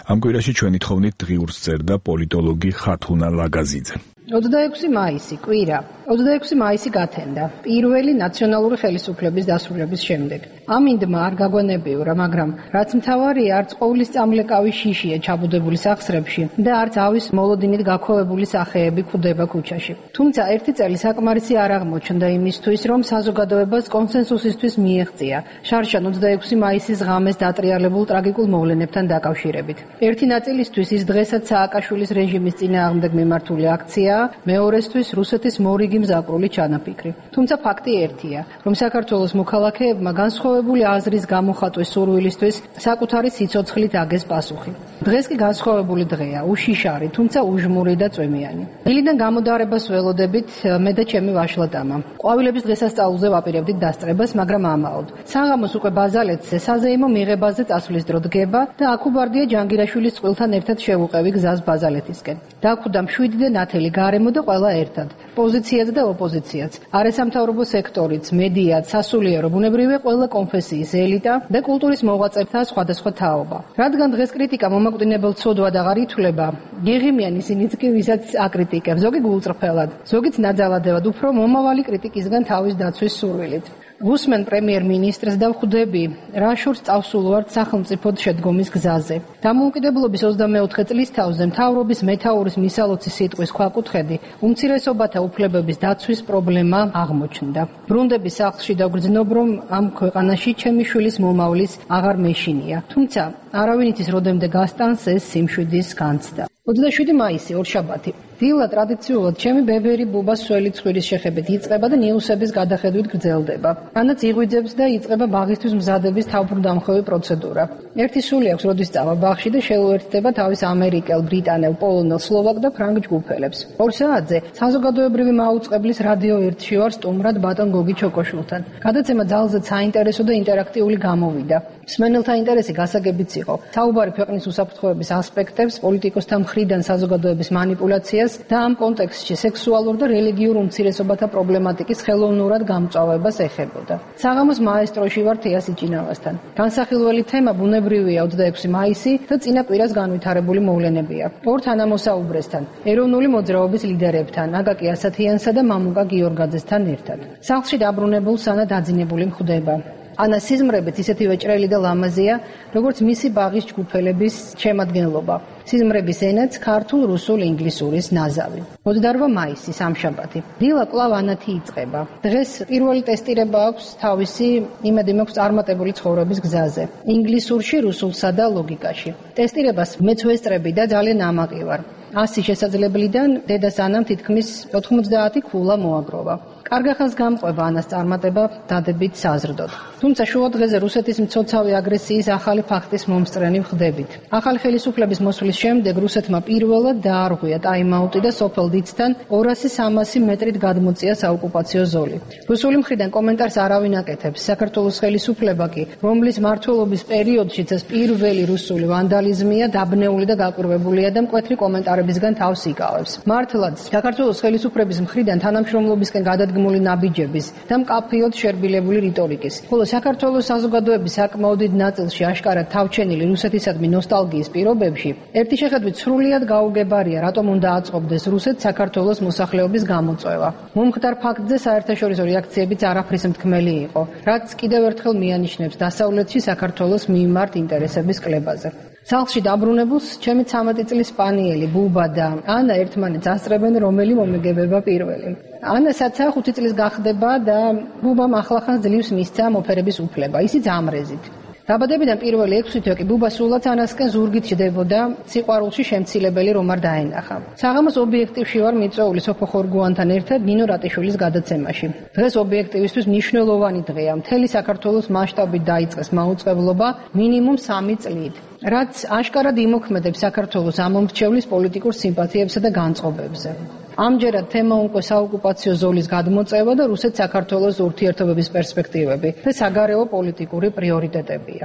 ამ კვირაში ჩვენი თხოვნით დღიურს წერდა პოლიტოლოგი ხათუნა ლაგაზიძე. ოცდაექვსი მაისი, კვირა. ოცდაექვსი მაისი გათენდა, პირველი ნაციონალური ხელისუფლების დასრულების შემდეგ. ამინდმა არ გაგვანებიურა, მაგრამ რაც მთავარია, არც ყოვლის წამლეკავი შიშია ჩაბუდებული სახსრებში და არც ავის მოლოდინით გაქვავებული სახეები გვხვდება ქუჩაში. თუმცა ერთი წელი საკმარისი არ აღმოჩნდა იმისთვის, რომ საზოგადოებას კონსენსუსისთვის მიეღწია შარშან ოცდაექვსი მაისის ღამეს დატრიალებულ ტრაგიკულ მოვლენებთან დაკავშირებით. ერთი ნაწილისთვის ის დღესაც სააკაშვილის რეჟიმის წინააღმდეგ მიმართული აქცია, მეორესთვის რუსეთის მორიგი მზაკრული ჩანაფიქრი. თუმცა ფაქტი ერთია, რომ საქართველოს მოქალაქეებმა განსხვავებული აზრის გამოხატვის სურვილისთვის საკუთარი სიცოცხლით აგეს პასუხი. დღეს კი განსხვავებული დღეა, უშიშარი, თუმცა უჟმური და წვიმიანი. დილიდან გამოდარებას ველოდებით მე და ჩემი ვაშლატამა. ყვავილების დღესასწაულზე ვაპირებდით დასწრებას, მაგრამ ამაოდ. საღამოს უკვე ბაზალეთზე საზეიმო მიღებაზე წასვლის დრო დგება და აქუბარდია ჯანგირაშვილის წყვილთან ერთად შევუყევი გზას ბაზალეთისკენ. დაგვხვდა მშვიდი და ნათელი გარემო და ყველა ერთად. პოზიცია კოალიციაც და ოპოზიციაც, არასამთავრობო სექტორიც, მედიაც, სასულიერო, ბუნებრივია ყველა კონფესიის ელიტა და კულტურის მოღვაწეთა სხვადასხვა თაობა. რადგან დღეს კრიტიკა მომაკვდინებელ ცოდვად აღარ ითვლება, გეღიმიან ისინიც კი ვისაც აკრიტიკებს, ზოგი გულწრფელად, ზოგიც ნაძალადევად, უფრო მომავალი კრიტიკისგან თავის დაცვის სურვილით. Გუსმენ პრემიერ-მინისტრს და ვხვდები, რა შორს წავსულვართ სახელმწიფოდ შედგომის გზაზე. დამოუკიდებლობის ოცდამეოთხე წლისთავზე მთავრობის მეთაურის მისალოცი სიტყვის ქვაკუთხედი უმცირესობათა უფლებების დაცვის პრობლემა აღმოჩნდა. ბრუნდების სახლში დაგრძნობ, რომ ამ ქვეყანაში ჩემი შვილის მომავლის აღარ მეშინია. თუმცა არავინ იცის როდემდე გასტანს ეს სიმშვიდის განცდა. ოცდაშვიდი მაისი, ორშაბათი. დილა ტრადიციულად ჩემი ბებერი ბუბას სველი ცხვირის შეხებით იწყება და ნიუსების გადახედვით გრძელდება. ანაც იღვიძებს და იწყება ბაღისთვის მზადების თავბრუდამხვევი პროცედურა. ერთი სული აქვს როდის წავა ბაღში და შეუერთდება თავის ამერიკელ, ბრიტანელ, პოლონელ, სლოვაკ და ფრანგ ჯგუფელებს. ორ საათზე საზოგადოებრივი მაუწყებლის რადიო ერთში ვარ სტუმრად ბატონ გოგი ჩოკოშვილთან. გადაცემა ძალზედ საინტერესო და ინტერაქტიული გამოვიდა. მსმენელთა ინტერესი გასაგებიც იყო. საუბარი ქვეყნის უსაფრთხოების ასპექტებს, პოლიტიკოსთა მხრიდან საზოგადოების მანიპულაციას და ამ კონტექსტში სექსუალურ და რელიგიურ უმცირესობათა პრობლემატიკის ხელოვნურად გამწვავებას ეხებოდა. საღამოს მაესტროში ვარ თეას იჭინავასთან. განსახილველი თემა ბუნებრივია ოცდაექვსი მაისი და წინა კვირას განვითარებული მოვლენებია. ორ თანამოსაუბრესთან, ეროვნული მოძრაობის ლიდერებთან, აკაკი ასათიანსა და მამუკა გიორგაძესთან ერთად. სახლში დაბრუნებულ სანა დაძინებული მხვდება. ანა სიზმრებით ისეთივე ჭრელი და ლამაზია, როგორც მისი ბაღის ჯგუფელების შემადგენლობა. სიზმრების ენაც ქართულ, რუსულ, ინგლისურის ნაზავი. ოცდაორ მაისი, სამშაბათი. დილა კვლავ ანათი იწყება. დღეს პირველი ტესტირება აქვს თავისი იმედი მაქვს წარმატებული ცხოვრების გზაზე. ინგლისურში, რუსულსა და ლოგიკაში. ტესტირებას მეც ვესწრები და ძალიან ამაყი ვარ. ასი შესაძლებლიდან დედას ანამ თითქმის ოთხმოცდაათი ქულა მოაგროვა. კარგახანს გამყვება ანას წარმატება დადებით საზრდოდ. თუმცა შუა დღეზე რუსეთის მცოცავი აგრესიის ახალი ფაქტის მომსწრენი ვხდებით. ახალი ხელისუფლების მოსვლის შემდეგ რუსეთმა პირველად დაარღვია ტაიმაუტი და სოფელ დიცთან ორასი სამასი მეტრით გადმოწია საოკუპაციო ზოლი. რუსული მხრიდან კომენტარს არავინ აკეთებს. საქართველოს ხელისუფლება კი, რომლის მმართველობის პერიოდშიც ეს პირველი რუსული ვანდალიზმია, დაბნეული და გაკვირვებულია და მკვეთრი კომენტარებისგან თავს იკავებს. მართლაც საქართველოს ხელისუფლების მხრიდან თანამშრომლობისკენ გადადგმული ნაბიჯების და მკაფიოდ შერბილებული რიტორიკის, ხოლო საქართველოს საზოგადოების საკმაოდ დიდ ნაწილში აშკარად თავჩენილი რუსეთისადმი ნოსტალგიის პირობებში ერთი შეხედვით სრულიად გაუგებარია, რატომ უნდა აწყობდეს რუსეთს საქართველოს მოსახლეობის გამოწვევა. მომხდარ ფაქტზე საერთაშორისო რეაქციებიც არაფრის მთქმელი იყო, რაც კიდევ ერთხელ მიანიშნებს დასავლეთში საქართველოს მიმართ ინტერესების კლებაზე. სახლში დაბრუნებულს ჩემი ცამეტი წლის სპანიელი ბუბა და ანა ერთმანეთს ასწრებენ, რომელი მომეგებება პირველი. ანა საცა ხუთი წლის გახდება და ბუბამ ახლახან ძლივს მისცა მოფერების უფლება, ისიც ამრეზით. დაბადებიდან პირველი ექვსი თვე კი ბუბა სულაც ანასკენ ზურგით ჯდებოდა, სიყვარულში შემცილებელი რომ არ დაენახა. საღამოს ობიექტივში ვარ მიწვეული სოფო ხორგუანთან ერთად ნინო რატიშვილის გადაცემაში. დღეს ობიექტივისთვის მნიშვნელოვანი დღეა. მთელი საქართველოს მასშტაბით დაიწყეს მაუწყებლობა მინიმუმ სამი წლით, რაც აშკარად იმოქმედებს საქართველოს ამომრჩევლის პოლიტიკურ სიმპათიებსა და განწყობებზე. ამჯერად თემა უკვე საოკუპაციო ზოლის გადმოწევა და რუსეთ-საქართველოს ურთიერთობების პერსპექტივები და საგარეო პოლიტიკური პრიორიტეტებია.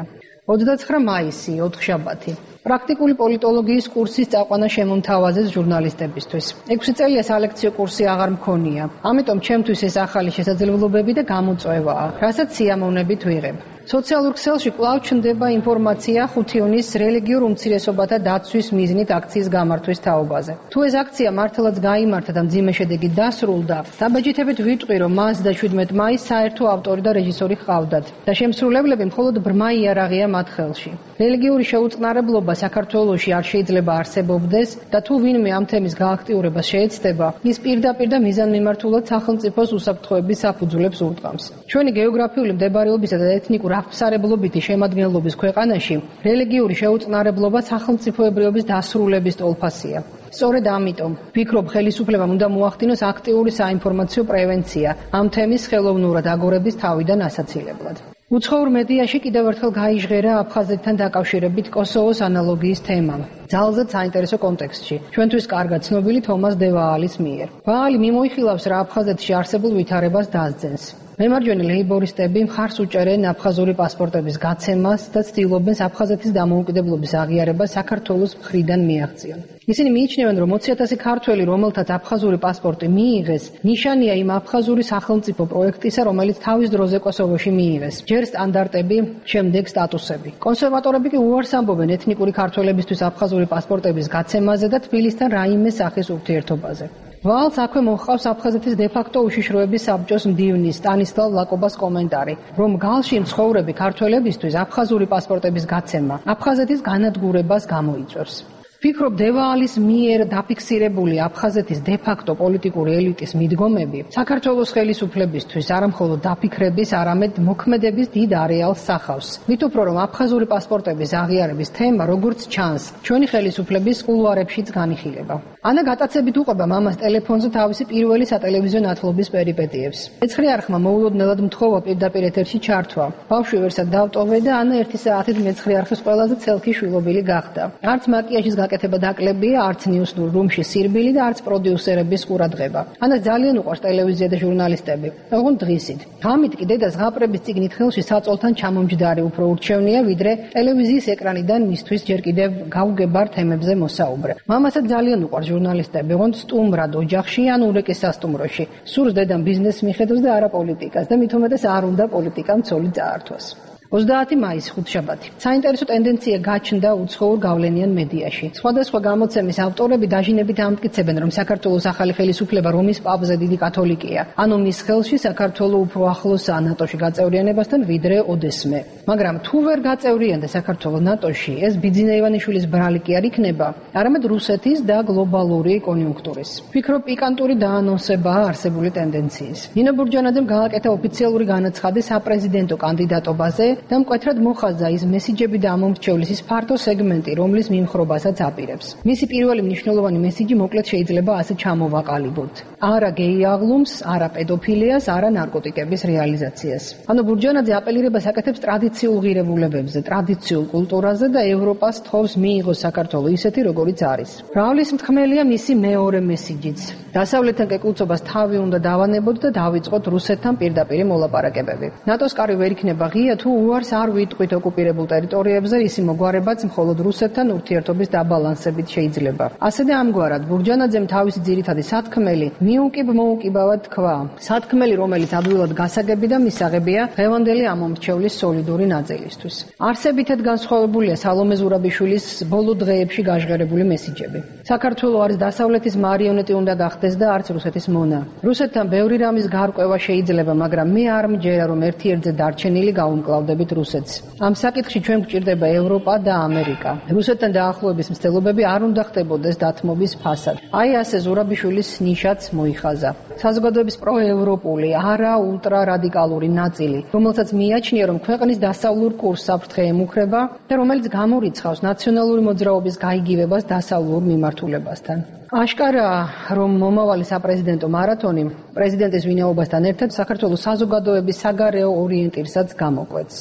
ოცდაცხრა მაისი, ოთხშაბათი. პრაქტიკული პოლიტოლოგიის კურსის წაყვანა შემომთავაზეს ჟურნალისტებისთვის. ექვსი წელია სალექციო კურსი აღარ მქონია. ამიტომ ჩემთვის ეს ახალი შესაძლებლობები და გამოწვევაა, რასაც სიამოვნებით ვიღებ. სოციალურ ქსელში კვლავ ჩნდება ინფორმაცია ხუთიონის რელიგიურ უმცირესობათა დაცვის მიზნით აქციის გამართვის თაობაზე. თუ ეს აქცია მართლაც გაიმართა და მძიმე შედეგით დასრულდა, დაბეჭდებით ვიტყვი, რომ მას და შვიდმეტ მაისს საერთო ავტორი და რეჟისორი ჰყავდათ და შემსრულებლები მხოლოდ ბრმა იარაღია მათ ხელში. რელიგიური შეუწყნარებლობა საქართველოში არ შეიძლება არსებობდეს და თუ ვინმე ამ თემის გააქტიურებას შეეცდება, ის პირდაპირ და მიზანმიმართულად სახელმწიფოს უსაფრთხოების საფუძვლებს ურტყამს. ჩვენი გეოგრაფიული მდებარეობისა და ეთნიკურ აღფსარებლობითი შემადგენლობის ქვეყანაში რელიგიური შეუწყნარებლობა სახელმწიფოებრიობის დასრულების ტოლფასია. სწორედ ამიტომ ვფიქრობ, ხელისუფლებამ უნდა მოახდინოს აქტიური საინფორმაციო პრევენცია ამ თემის ხელოვნურად აგორების თავიდან ასაცილებლად. უცხოურ მედიაში კიდევ ერთხელ გაიჟღერა აფხაზეთთან დაკავშირებით კოსოვოს ანალოგიის თემა. ძალზედ საინტერესო კონტექსტში, ჩვენთვის კარგად ცნობილი თომას დე ვაალის მიერ. ვაალი მიმოიხილავს, რა აფხაზეთში არსებულ ვითარებას დასძენს. მემარჯვენე ლეიბორისტები მხარს უჭერენ აფხაზური პასპორტების გაცემას და ცდილობენ აფხაზეთის დამოუკიდებლობის აღიარებას საქართველოს მხრიდან მიაღწიონ. ისინი მიიჩნევენ, რომ ოცი ათასი ქართველი, რომელთაც აფხაზური პასპორტი მიიღეს, ნიშანია იმ აფხაზური სახელმწიფო პროექტისა, რომელიც თავის დროზე კოსოვოში მიიღეს. ჯერ სტანდარტები, შემდეგ სტატუსები. კონსერვატორები კი უარს ამბობენ ეთნიკური ქართველებისთვის აფხაზური პასპორტების გაცემაზე და თბილისთან რაიმე სახის ურთიერთობაზე. ვალს აქვე მოჰყავს აფხაზეთის დე-ფაქტო უშიშროების საბჭოს მდივნის სტანისლავ ლაკობას კომენტარი, რომ გალში მცხოვრები ქართველებისთვის აფხაზური პასპორტების გაცემა აფხაზეთის განადგურებას გამოიწვევს. ვფიქრობ, დევაალის მიერ დაფიქსირებული აფხაზეთის დე-ფაქტო პოლიტიკური ელიტის მიდგომები საქართველოს ხელისუფლებისთვის არამხოლოდ დაფიქრების, არამედ მოქმედების დიდ არეალს სახავს. მით უფრო, რომ აფხაზური პასპორტების აღიარების თემა, როგორც ჩანს, ჩვენი ხელისუფლების კულუარებშიც განიხილება. ანა გატაცებით უყვება მამას ტელეფონზე თავისი პირველი სატელევიზიო ნათლობის პერიპეტიებს. მეცხრე არხმა მოულოდნელად მთხოვა პირდაპირ ეთერში ჩართვა. ბავშვი ვერსად დავტოვე და ანა ერთი საათით მეცხრე არხის ყველაზე ცელქი შვილობილი გახდა. არც მაკიაჟის გაკეთება დაკლებია, არც ნიუსნურ რუმში სირბილი და არც პროდიუსერების ყურადღება. ანას ძალიან უყვარს ტელევიზია და ჟურნალისტები. ოღონდ დღისით. ამით კი დედას ღაპრების წიგნით ხელში საწოლთან ჩამომჯდარი უფრო ურჩევნია, ვიდრე ტელევიზიის ეკრანიდან მისთვის ჯერ კიდევ გაუგებარ თემებზე მოსაუბრე. მამასაც ძალიან უყვარს ჟურნალისტები, ოღონდ სტუმრად ოჯახში ან ურეკის სასტუმროში. სურს დედამ ბიზნესს მიხედოს და არა პოლიტიკას და მით უმეტეს არ უნდა პოლიტიკამ ცოლი წაართვას. ოცდაათი მაისი ხუთშაბათი. საინტერესო ტენდენცია გაჩნდა უცხოურ გავლენიან მედიაში. სხვადასხვა გამოცემის ავტორები დაჟინებით ამტკიცებენ, რომ საქართველოს ახალი ხელისუფლება რომის პაპზე დიდი კათოლიკეა. ანუ მის ხელში საქართველო უფრო ახლოსაა ნატოში გაწევრიანებასთან ვიდრე ოდესმე. მაგრამ თუ ვერ გაწევრიანდა საქართველო ნატოში, ეს ბიძინა ივანიშვილის ბრალი კი არ იქნება, არამედ რუსეთის და გლობალური კონიუნქტურის. ვფიქრობ, პიკანტური დაანონსებაა არსებული ტენდენციის. ნინო ბურჯანაძემ გააკეთა ოფიციალური განაცხადი საპრეზიდენტო კანდიდატობაზე და მკვეთრად მოხაზა ის მესიჯები და ამომრჩევლის ის ფართო სეგმენტი, რომლის მიმხრობასაც აპირებს. მისი პირველი მნიშვნელოვანი მესიჯი მოკლედ შეიძლება ასე ჩამოვაყალიბოთ. არა გეი აღლუმს, არა პედოფილიას, არა ნარკოტიკების რეალიზაციას. ანუ ბურჯანაძე აპელირებას აკეთებს ტრადიციულ ღირებულებებზე, ტრადიციულ კულტურაზე და ევროპას თხოვს მიიღოს საქართველო ისეთი, როგორიც არის. მრავლის მთქმელია მისი მეორე მესიჯიც. დასავლეთთან კეკულწობას თავი უნდა დავანებოთ და დავიწყოთ რუსეთთან პირდაპირ მოლაპარაკებები. ნატოს კარი ვერ იქნება ღია თუ უარს არ ვიტყვით ოკუპირებულ ტერიტორიებზე, ისი მოგვარებაც მხოლოდ რუსეთთან ურთიერთობის დაბალანსებით შეიძლება. ასე და ამგვარად ბურჯანაძემ თავისი ძირითადი სათქმელი მიუკიბ მოუკიბავად თქვა. სათქმელი, რომელიც ადვილად გასაგები და მისაღებია დღევანდელი ამომრჩევლის სოლიდური ნაწილისთვის. არსებითად განსხვავებულია სალომე ზურაბიშვილის ბოლო დღეებში გაჟღერებული მესიჯები. საქართველო არის დასავლეთის მარიონეტი უნდა გახდეს და არც რუსეთის მონა. რუსეთთან ბევრი რამის გარკვევა შეიძლება, მაგრამ მე არ მჯერა, რომ ერთ-ერთზე დარჩენილი გაუმკლავდებით რუსეთს. ამ საკითხში ჩვენ გვჭირდება ევროპა და ამერიკა. რუსეთთან დაახლოების მცდელობები არ უნდა ხდებოდეს დათმობის ფასად. აი ასე ზურაბიშვილის ნიშაც მოიხაზა. საზოგადოების პროევროპული, არა ულტრარადიკალური ნაწილი, რომელსაც მიაჩნია, რომ ქვეყნის დასავლურ კურსს საფრთხე ემუქრება და რომელიც გამორიცხავს ნაციონალური მოძრაობის გაიგივებას დასავლურ მიმართულებასთან. აშკარაა, რომ მომავალი საპრეზიდენტო მარათონი პრეზიდენტის ვინაობასთან ერთად საქართველოს საზოგადოების საგარეო ორიენტირსაც გამოკვეთს.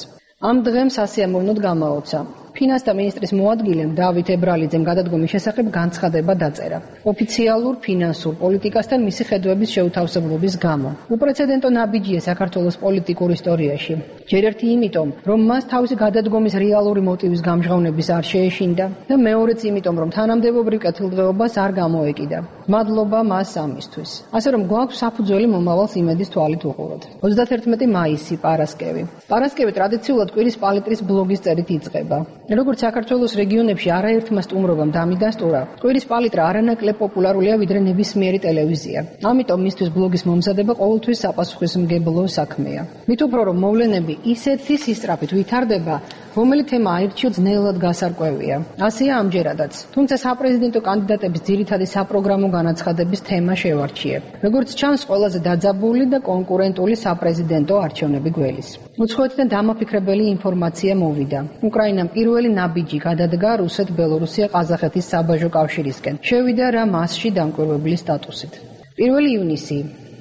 ამ დღემ სასიამოვნოდ გამაოცა. ფინანსთა მინისტრის მოადგილემ დავით ებრალიძემ გადადგომის შესახებ განცხადება დაწერა. ოფიციალურ ფინანსურ პოლიტიკასთან მისი ხედვების შეუთავსებლობის გამო. უპრეცედენტო ნაბიჯია საქართველოს პოლიტიკურ ისტორიაში. ჯერ ერთი იმიტომ, რომ მას თავისი გადადგომის რეალური მოტივის გამჟღავნების არ შეეშინდა და მეორეც იმიტომ, რომ თანამდებობრივ კეთილდღეობას არ გამოეკიდა. მადლობა მას ამისთვის. ასე რომ გვაქვს საფუძველი მომავალს იმედის თვალით უყუროთ. ოცდათერთმეტი მაისი პარასკევი. პარასკევი ტრადიციულად კვირის პალიტრის ბლოგის წერით იწყება. როგორც საქართველოს რეგიონებში არაერთმა სტუმრობამ დამიდასტურა, კვირის პალიტრა არანაკლებ პოპულარულია ვიდრე ნებისმიერი ტელევიზია. ამიტომ მისთვის ბლოგის მომზადება ყოველთვის საპასუხისმგებლო საქმეა. მით უფრო რომ მოვლენები ისეთი სისწრაფით ვითარდება, რომელი თემა აირჩიო ძნელად გასარკვევია. ასეა ამჯერადაც. თუმცა საპრეზიდენტო კანდიდატების ძირითადი საპროგრამო განაცხადების თემა შევარჩიებ. როგორც ჩანს, ყველაზე დაძაბული და კონკურენტული საპრეზიდენტო არჩევნები გველის. უცხოეთიდან დამაფიქრებელი ინფორმაცია მოვიდა. უკრაინამ პირველი ნაბიჯი გადადგა რუსეთ-ბელორუსია-ყაზახეთის საბაჟო კავშირისკენ. შევიდა რა მასში დამკვირვებლის სტატუსით. პირველი ივნისი,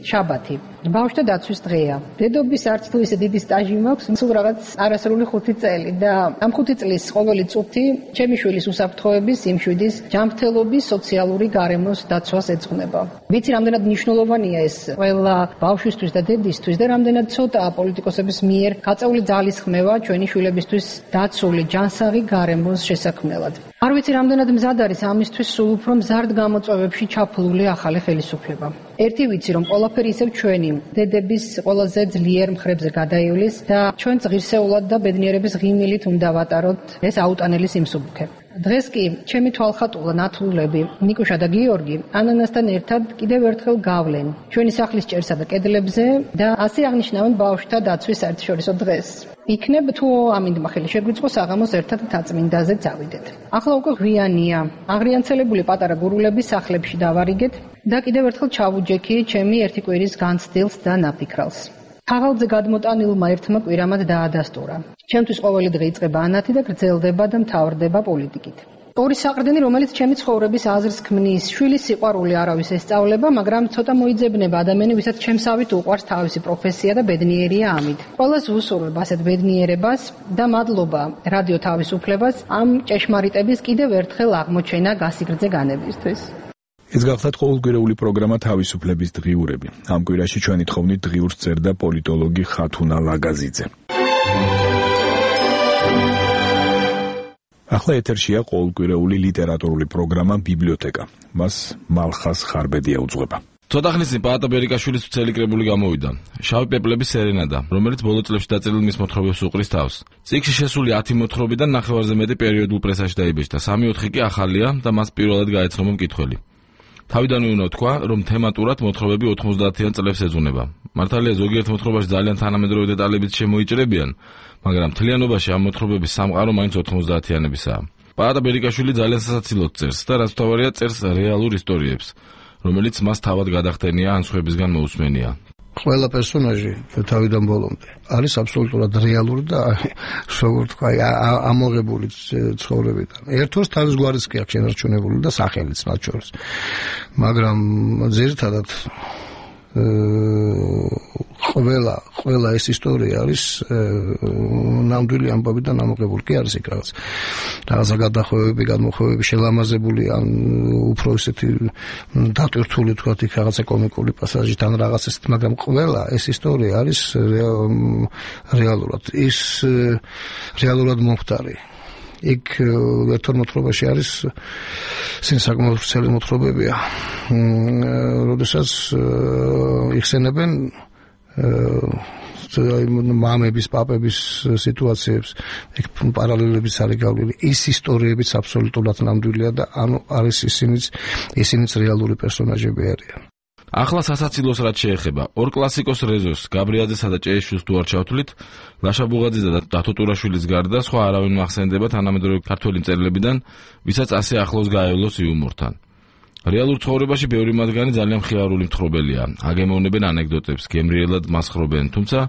შაბათი. ბავშვთა დაცვის დღეა. დედობის არც თუ ისე დიდი სტაჟი მაქვს, სულ რაღაც არასრული ხუთი წელი და ამ ხუთი წლის ყოველი წუთი ჩემი შვილის უსაფრთხოების, სიმშვიდის, ჯანმრთელობის, სოციალური გარემოს დაცვას ეძღვნება. ვიცი, რამდენად მნიშვნელოვანია ეს ყველა ბავშვისთვის და დედისთვის და რამდენად ცოტაა პოლიტიკოსების მიერ გაწეული ძალის ხმევა ჩვენი შვილებისთვის დაცული ჯანსაღი გარემოს შესაქმნელად. არ ვიცი, რამდენად მზად არის ამისთვის სულ უფრო მზარდ გამოწვევებში ჩაფლული ახალი ხელისუფლება. ერთი ვიცი, რომ ყველაფერი ისევ ჩვენი დედების ყველაზე ძლიერ მხრებზე გადაივლის და ჩვენც ღირსეულად და ბედნიერების ღიმილით უნდა ვატაროთ ეს აუტანელი სიმსუბუქე. დღეს კი ჩემი თვალხატულა ნათლულები ნიკუშა და გიორგი ანანასთან ერთად კიდევ ერთხელ გავლენ ჩვენი სახლის ჭერსა და კედლებზე და ასე აღნიშნავენ ბავშვთა დაცვის საერთაშორისო დღეს. იქნებ თუ ამინდმა ხელი შეგვიწყოს საღამოს ერთად თაწმინდაზე წავიდეთ. ახლა უკვე ღვიანია. აღრიანცელებული პატარა გურულები სახლებში დავარიგეთ და კიდევ ერთხელ ჩავუჯექი ჩემი ერთი კვირის განცდილს და ნაფიქრალს. ქაღალდზე გადმოტანილმა ერთმა კვირამად დაადასტურა. ჩემთვის ყოველი დღე იწყება ანათი და გრძელდება და მთავრდება პოლიტიკით. ორი საყრდენი, რომელიც ჩემი ცხოვრების აზრს ქმნის, შვილის სიყვარული არავის ესწავლება, მაგრამ ცოტა მოიძებნება ადამიანი, ვისაც ჩემსავით უყვარს თავისი პროფესია და ბედნიერია ამით. ყველას ვუსურვებ ასეთ ბედნიერებას და მადლობა რადიო თავისუფლებას ამ ჭეშმარიტების კიდევ ერთხელ აღმოჩენა გასიგრძე განებისთვის. ეს გახლავთ ყოველკვირეული პროგრამა თავისუფლების დღიურები. ამ კვირაში ჩვენი თხოვნით დღიურს წერდა პოლიტოლოგი ხათუნა ლაგაზიძე. ახლა ეთერშია ყოველკვირეული ლიტერატურული პროგრამა ბიბლიოთეკა. მას მალხას ხარბედია უძღვება. ცოტა ხნის წინ პაატა ბერიკაშვილის ვრცელი კრებული გამოვიდა. შავი პეპლების სერენადა, რომელიც ბოლო წლებში დაწერილ მის მოთხრობებს უყრის თავს. წიგნში შესული ათი მოთხრობიდან ნახევარზე მეტი პერიოდულ პრესაში დაიბეჭდა. სამი ოთხი კი ახალია და მას პირველად გაეცნობა მკითხველი. თავიდანვე უნდა თქვა, რომ თემატურად მოთხრობები ოთხმოცდაათიან წლებს ეძღვნება. მართალია ზოგიერთ მოთხრობაში ძალიან თანამედროვე დეტალებიც შემოიჭრებიან, მაგრამ მთლიანობაში ამ მოთხრობების სამყარო მაინც ოთხმოცდაათიანებისაა. პაატა ბერიკაშვილი ძალიან სასაცილოდ წერს და რაც თავარია წერს რეალურ ისტორიებს, რომელიც მას თავად გადახდენია ან სხვებისგან მოусმენია. ყველა პერსონაჟი თავიდან ბოლომდე არის აბსოლუტურად რეალური და როგორ თქვა ამოღებული ცხოვრებიდან. ერთოს თავის გვარის კი აქვს შენარჩუნებული და სახელიც მათ შორის. მაგრამ ძირითადად ყველა ყველა ეს ისტორია არის ნამდვილი ამბავიდან ამოღებული. კი არის იქ რაღაც რაღაცა გადახვევები, გამოხვევები შელამაზებული ან უფრო ისეთი დატვირთული თქვა იქ რაღაცა კომიკური პასაჟით ან რაღაც ესეთ, მაგრამ ყველა ეს ისტორია არის რეალურად ის რეალურად მომხდარი. იქ ერთორ მოთხრობაში არის საკმაოდ ვრცელი მოთხრობებია, როდესაც იხსენებენ მამების, პაპების სიტუაციებს, იქ პარალელებიც არის გავლილი. ის ისტორიებიც აბსოლუტურად ნამდვილია და ანუ არის ისინიც ისინიც რეალური პერსონაჟები არიან. ახლა სასაცილოს რაც შეეხება, ორ კლასიკოს რეზოს, გაბრიაძესა და ჭეიშვილს თუ არ ჩავთვლით, ლაშა ბუღაძისა და დათო ტურაშვილის გარდა სხვა არავინ მახსენდება თანამედროვე ქართველი მწერლებიდან, ვისაც ასე ახლოს გაევლოს იუმორთან. რეალურ ცხოვრებაში ბევრი მათგანი ძალიან მხიარული მთხრობელია, აგემოვნებენ ანეკდოტებს, გემრიელად მასხრობენ, თუმცა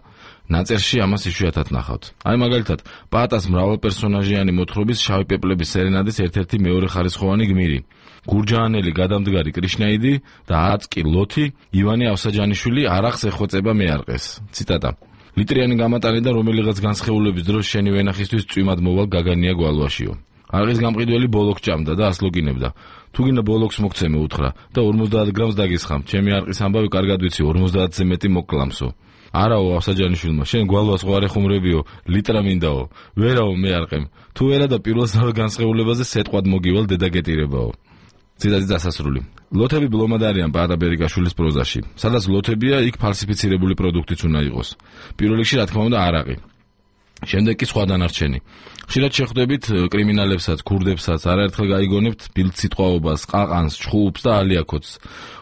ნაწერში ამას იშვიათად ნახავთ. აი მაგალითად, პაატას მრავალპერსონაჟიანი მოთხრობის შავი პეპლების სერენადის ერთ-ერთი მეორეხარისხოვანი გმირი. გურჯაანელი გადამდგარი კრიშნაიდი და აწკი ლოთი ივანე ავსაჯანიშვილი არახს ეხვეწება მეარყეს. ციტატა: ლიტრიანი გამატანიდან რომელიღაც განსხეულების დროს შენი ვენახისთვის წვიმად მოვალ გაგანია გვალვაშიო. არყის გამყიდველი ბოლოქს ჭამდა და ასლოგინებდა. თუ გინდა ბოლოქს მოგცემე უთხრა და ორმოცდაათ გრამს დაგისხამ. ჩემი არყის ამბავი კარგად ვიცი, ორმოცდაათზე მეტი მოგკლამსო. არაო ავსაჯანიშვილმა, შენ გვალვას ხო არ ეხუმრებიო, ლიტრა მინდაო. ვერაო მეარყემ. თუ ვერა და პირველ განსხეულებაზე სეტყვად მოგივალ დედაგეტირებაო. ციტატი დასასრული. ლოთები ბლომად არიან პაატა ბერიკაშვილის პროზაში. სადაც ლოთებია, იქ ფალსიფიცირებული პროდუქტიც უნდა იყოს. პირველ რიგში, რა თქმა უნდა, არაყი. შემდეგ კი სხვა დანარჩენი. ხშირად შეხვდებით კრიმინალებსაც, ქურდებსაც, არაერთხელ გაიგონებთ ბილდსიტყვაობას, ყაყანს, ჩხუბს და ალიაკოც.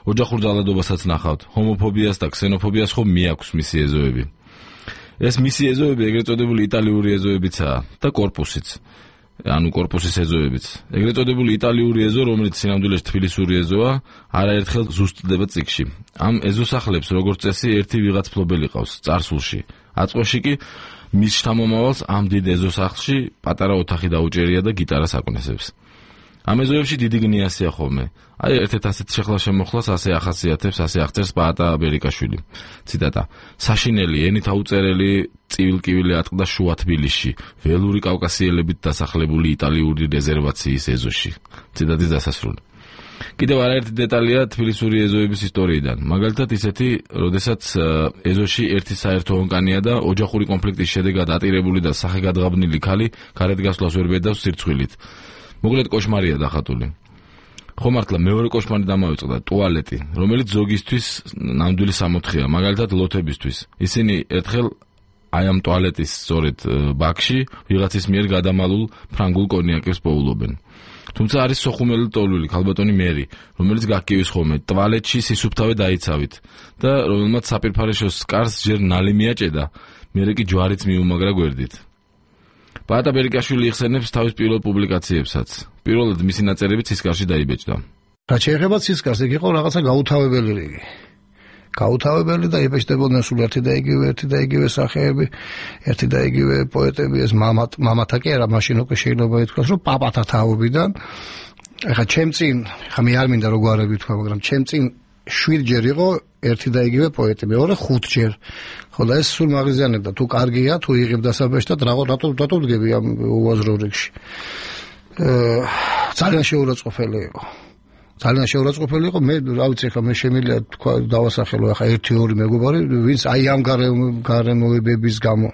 ოჯახურ ძალადობასაც ნახავთ. ჰომოფობიას და ქსენოფობიას ხომ მიაქვს მისი ეზოები. ეს მისი ეზოები ეგრეთ წოდებული იტალიური ეზოებიცაა და კორპუსიც. ანუ კორპუსის ეზოებიც. ეგრეთ წოდებული იტალიური ეზო, რომელიც სინამდვილეში თბილისური ეზოა, არაერთხელ ზუსტდება წიგნში. ამ ეზოსახლებს როგორც წესი ერთი ვიღაც ფლობელი ყავს წარსულში. აწყვეში კი მის შთამომავალს ამ დიდ ეზოსახლში პატარა ოთახი დაუჭერია და გიტარას აკვნესებს. ამ ეზოებში დიდი გნიასია ხოლმე. აი ერთ-ერთ ასეთ შეხლა შემოხლას ასე ახასიათებს, ასე აღწერს პაატა ბერიკაშვილი. ციტატა: საშინელი ენით აუწერელი წივილკივილი ატყდა შუა თბილისში, ველური კავკასიელებით დასახლებული იტალიური რეზერვაციის ეზოში. ციტატის დასასრული. კიდევ არაერთი დეტალია თბილისური ეზოების ისტორიიდან. მაგალითად ისეთი, როდესაც ეზოში ერთი საერთო ონკანია და ოჯახური კონფლიქტის შედეგად ატირებული და სახეგადღაბნილი ქალი გარეთ გასვლას ვერ ბედავს სირცხვილით. მოკლედ კოშმარია დახატული. ხო მართლა მეორე კოშმარი დამავიწყდა ტუალეტი, რომელიც ზოგისთვის ნამდვილი სამოთხეა, მაგალითად ლოთებისთვის. ისინი ერთხელ აი ამ ტუალეტის სწორედ ბაქში ვიღაცის მიერ გადამალულ ფრანგულ კონიაკებს პოულობენ. თუმცა არის სოხუმელი ტოლული ქალბატონი მერი, რომელიც გაკივის ხოლმე ტუალეტში სისუფთავე დაიცავით და რომელმაც საპირფარეშოს კარს ჯერ ნალი მიაჭედა, მერე კი ჯვარიც მიუმაგრა გვერდით. პაატა ბერიკაშვილი იხსენებს თავის პირველ პუბლიკაციებსაც. პირველად მისი ნაწერები ცისკარში დაიბეჭდა. რაც შეეხება ცისკარს, იქ იყო რაღაცა გაუთავებელი რიგი. გაუთავებელი და იბეჭდებოდნენ სულ ერთი და იგივე ერთი და იგივე სახეები, ერთი და იგივე პოეტები, ეს მამათ მამათა კი არა, მაშინ უკვე შეიძლება ითქვას, რომ პაპათა თაობიდან. ეხლა ჩემ წინ, ხა მე არ მინდა როგორ არები თქვა, მაგრამ ჩემ წინ შვიდჯერ იყო ერთი და იგივე პოეტი, მეორე ხუთჯერ. ხო და ეს სულ მაგიზიანებდა, თუ კარგია, თუ იღებ დასაბეჭდად, რა რატო რატო დგები ამ უაზრო რიგში. ძალიან შეურაცხყოფელი იყო. ძალიან შეურაცხყოფელი იყო. მე რა ვიცი, ხა მე შემიძლია თქვა დავასახელო ახლა ერთი ორი მეგობარი, ვინც აი ამ გარემოებების გამო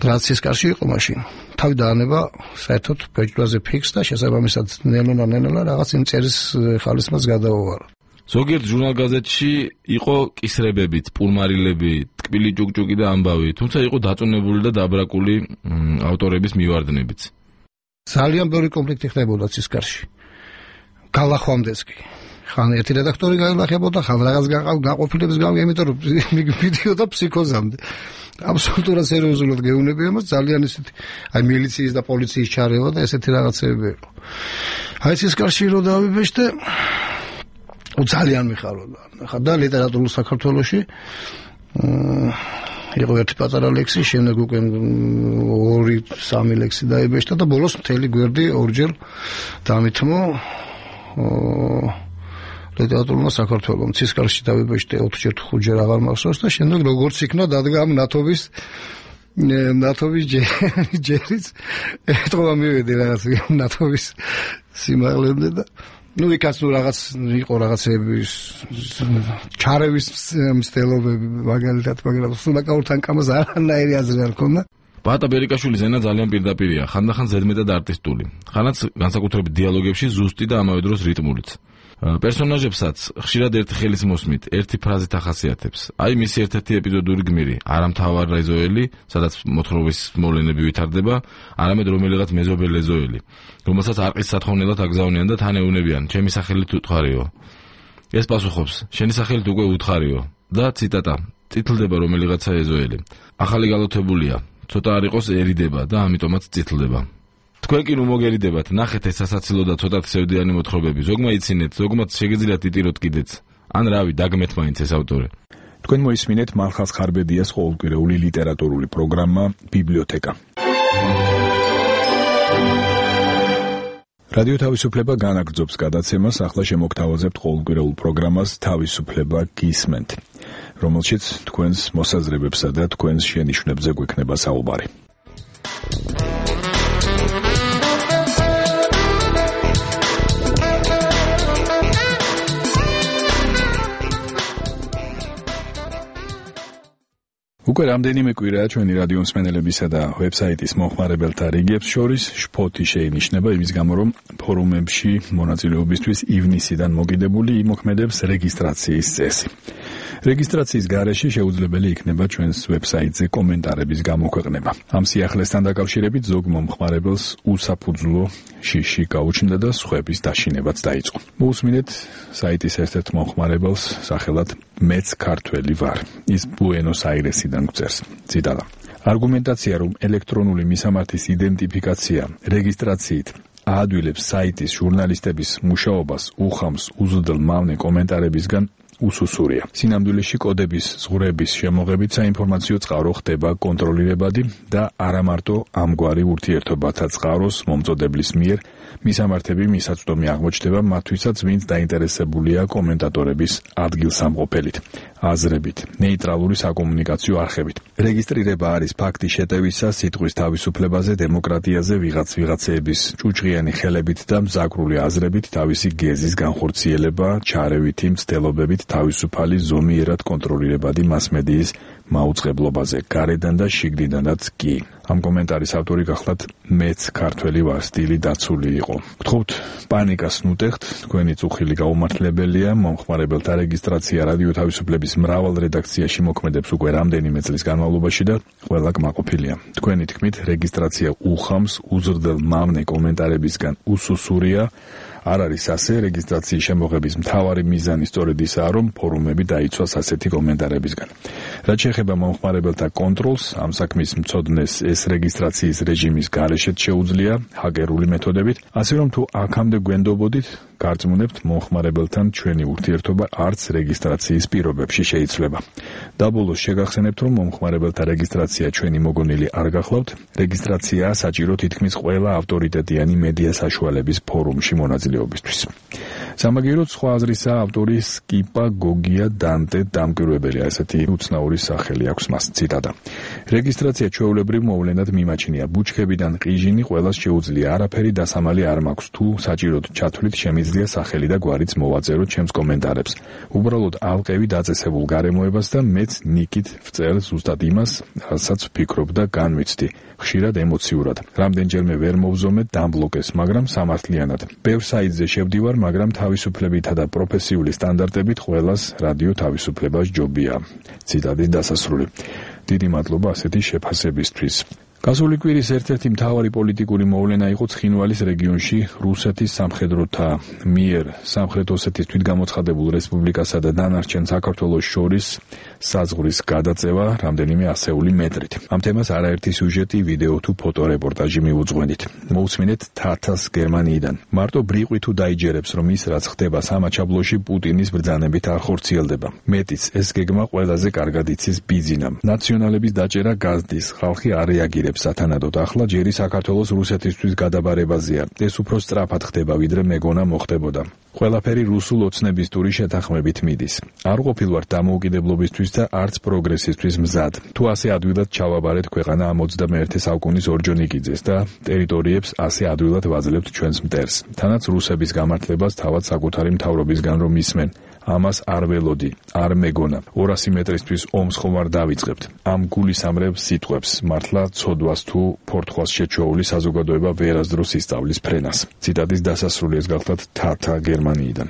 რაც ცისკარში იყო მაშინ. თავი დაანება საერთოდ ბეჭდვაზე ფიქს და შესაბამისად ნელ-ნელა ნელ-ნელა რაღაც იმ წერის ხალისმაც გადაუვარო. ზოგიერთ ჟურნალ-გაზეთში იყო კისრებებით, პურმარილები, ტკბილი ჭუკჭუკი და ამბავი, თუმცა იყო დაწუნებული და დაბრაკული ავტორების მივარდნებიც. ძალიან ბევრი კონფლიქტი ხდებოდა ცისკარში. გალახვამდეს კი. ხან ერთი რედაქტორი გაილახებოდა, ხან რაღაც გაყოფილების გამო, იმიტომ რომ მიდიოდა ფსიქოზამდე. აბსოლუტურად სერიოზულად გეუბნები ამას, ძალიან ისეთი, აი მილიციის და პოლიციის ჩარევა და ესეთი რაღაცები იყო. აი ცისკარში რო დავიბეჭდე, ძალიან მიხაროდა. ხა და ლიტერატურულ საქართველოში იყო ერთი პატარა ლექსი, შემდეგ უკვე ორი სამი ლექსი დაიბეჭდა და ბოლოს მთელი გვერდი ორჯერ დამითმო ლიტერატურულმა საქართველომ. ცისკარში დავიბეჭდე ოთხჯერ თუ ხუთჯერ აღარ მახსოვს და შემდეგ როგორც იქნა დადგა ამ ნათობის ნათობის ჯერიც ეთქვა მივედი რაღაც ნათობის სიმაღლემდე და ну იქაც ნუ რაღაც იყო რაღაცების ჩარევის მცდელობები მაგალითად, მაგრამ სულაკაურთან კამას არანაირი აზრი არ ქონდა. პაატა ბერიკაშვილის ენა ძალიან პირდაპირია, ხანდახან ზედმეტად არტისტული, ხანაც განსაკუთრებით დიალოგებში ზუსტი და ამავე დროს რიტმულიც. პერსონაჟებსაც ხშირად ერთი ხელის მოსმით, ერთი ფრაზით ახასიათებს. აი მისი ერთ-ერთი ეპიზოდური გმირი, არამთავარ ეზოელი, სადაც მოთხრობის მოვლენები ვითარდება, არამედ რომელიღაც მეზობელ ეზოელი, რომელსაც არყის სათხოვნელად აგზავნიან და თან ეუნებიან, ჩემი სახელით უთხარიო. ეს პასუხობს, შენი სახელით უკვე უთხარიო და ციტატა, წითლდება რომელიღაცა ეზოელი. ახალი გალოთებულია, ცოტა არ იყოსერიდება და ამიტომაც წითლდება. თქვენ კი ნუ მოგერიდებათ, ნახეთ ეს სასაცილო და ცოტა სევდიანი მოთხრობები, ზოგმა იცინეთ, ზოგმაც შეგეძლიათ იტიროთ კიდეც. ან რავი, დაგმეთ მაინც ეს ავტორი. თქვენ მოისმინეთ მალხაზ ხარბედიას ყოველკვირეული ლიტერატურული პროგრამა ბიბლიოთეკა. რადიო თავისუფლება განაგრძობს გადაცემას, ახლა შემოგთავაზებთ ყოველკვირეულ პროგრამას თავისუფლება გისმენთ, რომელშიც თქვენს მოსაზრებებსა და თქვენს შენიშვნებზე გვექნება საუბარი. უკვე რამდენიმე კვირაა ჩვენი რადიო მსმენელებისა და ვებსაიტის მომხმარებელთა რიგებს შორის შფოთი შეინიშნება იმის გამო, რომ ფორუმებში მონაწილეობისთვის ივნისიდან მოგიდებული იმოქმედებს რეგისტრაციის წესი. რეგისტრაციის გარეშე შეუძლებელი იქნება ჩვენს ვებსაიტზე კომენტარების გამოქვეყნება. ამ სიახლესთან დაკავშირებით ზოგ მომხმარებელს უსაფუძვლო შიში გაუჩნდა და სხვების დაშინებაც დაიწყო. მოусმინეთ საიტის ერთ-ერთ მომხმარებელს სახელად მეც ქართველი ვარ. ის ბუენოს-აირესიდან გვწერს. ციტატა. არგუმენტაცია, რომ ელექტრონული მისამართის იდენტიფიკაცია რეგისტრაციით აადვილებს საიტის ჟურნალისტების მუშაობას უხამს უზრდელ მავნე კომენტარებისგან უსუსურია. სინამდვილეში კოდების ზღვრების შემოღებით საინფორმაციო წყარო ხდება კონტროლირებადი და არა მარტო ამგვარი ურთიერთობათა წყაროს მომწოდებლის მიერ მისამართები მისაწვდომი აღმოჩნდება მათთვისაც, ვინც დაინტერესებულია კომენტატორების ადგილსამყოფელით, აზრებით, ნეიტრალური საკომუნიკაციო არხებით. რეგისტრირება არის ფაქტი შეტევისა, სიტყვის თავისუფლებაზე, დემოკრატიაზე, ვიღაც ვიღაცეების ჭუჭყიანი ხელებით და მზაკრული აზრებით, თავისი გეზის განხორციელება, ჩარევითი მცდელობებით, თავისუფალი ზომიერად კონტროლირებადი მასმედიის მაუწყებლობაზე, გარედან და შიგნიდანაც კი. ამ კომენტარის ავტორი გახლავთ მეც ქართველი ვარ სტილი დაცული იყო. გთხოვთ პანიკას ნუტეხთ, თქვენი წუხილი გაუმართლებელია, მომხმარებელთა რეგისტრაცია რადიო თავისუფლების მრავალ რედაქციაში მოქმედებს უკვე რამდენიმე წლის განმავლობაში და ყველა კმაყოფილია. თქვენი თქმით, რეგისტრაცია უხამს, უზრდელ მამნე კომენტარებისგან უსუსურია. არ არის ასე, რეგისტრაციის შემოღების მთავარი მიზანი სწორედ ისაა, რომ ფორუმები დაიცვას ასეთი კომენტარებისგან. რაც შეეხება მომხმარებელთა კონტროლს, ამ საქმის მცოდნეს ეს რეგისტრაციის რეჟიმის გარეშეც შეუძლია ჰაკერული მეთოდებით, ასე რომ თუ აქამდე გვენდობოდით, გარწმუნებთ მომხმარებელთან ჩვენი ურთიერთობა არც რეგისტრაციის პირობებში შეიძლება. დაბოლოს შეგახსენებთ, რომ მომხმარებელთა რეგისტრაცია ჩვენი მოგონილი არ გახლავთ, რეგისტრაცია საჭირო თითქმის ყველა ავტორიტეტიანი მედია საშუალების ფორუმში მონაწილეობისთვის. სამაგიეროდ სხვა აზრისაა ავტორი სკიპა გოგია დანტე დამკვირვებელი, ასეთი უცნაური სახელი აქვს მას, ციტატა. რეგისტრაცია ჩვეულებრივ მოვლენად მიმაჩნია, ბუჩქებიდან ყიჟინი ყველას შეუძლია, არაფერი დასამალი არ მაქვს, თუ საჭიროდ ჩათვლით შემიძლია სახელი და გვარიც მოვაწეროთ ჩემს კომენტარებს. უბრალოდ ალყევი დაწესებულ გარემოებას და მეც ნიკით ვწერ ზუსტად იმას, რასაც ვფიქრობ და განვიცდი. ხშირად ემოციურად. რამდენჯერმე ვერ მოვზომეთ დამბლოკეს, მაგრამ სამართლიანად. ბევრ საიტზე შევდივარ, მაგრამ თავისუფლებითა და პროფესიული სტანდარტებით ყველას რადიო თავისუფლებას ჯობია. ციტატის დასასრული. დიდი მადლობა ასეთი შეფასებისთვის. გასული კვირის ერთ-ერთი მთავარი პოლიტიკური მოვლენა იყო ცხინვალის რეგიონში რუსეთის სამხედროთა მიერ სამხრეთ ოსეთის თვითგამოცხადებულ რესპუბლიკასა და დანარჩენ საქართველოს შორის საზღვრის გადაწევა რამდენიმე ასეული მეტრით. ამ თემას არაერთი სიუჟეტი, ვიდეო თუ ფოტორეპორტაჟი მივუძღვენით. მოусმინეთ თათას გერმანიიდან. მარტო ბრიყვი თუ დაიჯერებს, რომ ის რაც ხდება სამაჩაბლოში პუტინის ბრძანებით არ ხორციელდება. მეტიც ეს გეგმა ყველაზე კარგად იცის ბიძინამ. ნაციონალების დაჭერა გაზდის, ხალხი არ რეაგირებს სათანადოდ. ახლა ჯერი საქართველოს რუსეთისთვის გადაბარებაზეა. ეს უფრო სწრაფად ხდება, ვიდრე მეგონა მოხდებოდა. ყველაფერი რუსულ ოცნების ტური შეთანხმებით მიდის. არ ყოფილვართ დამოუკიდებლობისთვის და არც პროგრესისთვის მზად. თუ ასე ადვილად ჩავაბარეთ ქვეყანა ამ ოცდამეერთე საუკუნის ორჯონიკიძეს და ტერიტორიებს ასე ადვილად ვაძლევთ ჩვენს მტერს. თანაც რუსების გამართლებას თავად საკუთარი მთავრობისგან რომ ისმენ. ამას არ ველოდი, არ მეგონა. ორასი მეტრისთვის ომს ხომ არ დავიწყებთ. ამ გულისამრევ სიტყვებს მართლა ცოდვას თუ ფორთხვას შეჩვეული საზოგადოება ვერასდროს ისწავლის ფრენას. ციტატის დასასრული ეს გახლავთ თათა გერმანიიდან.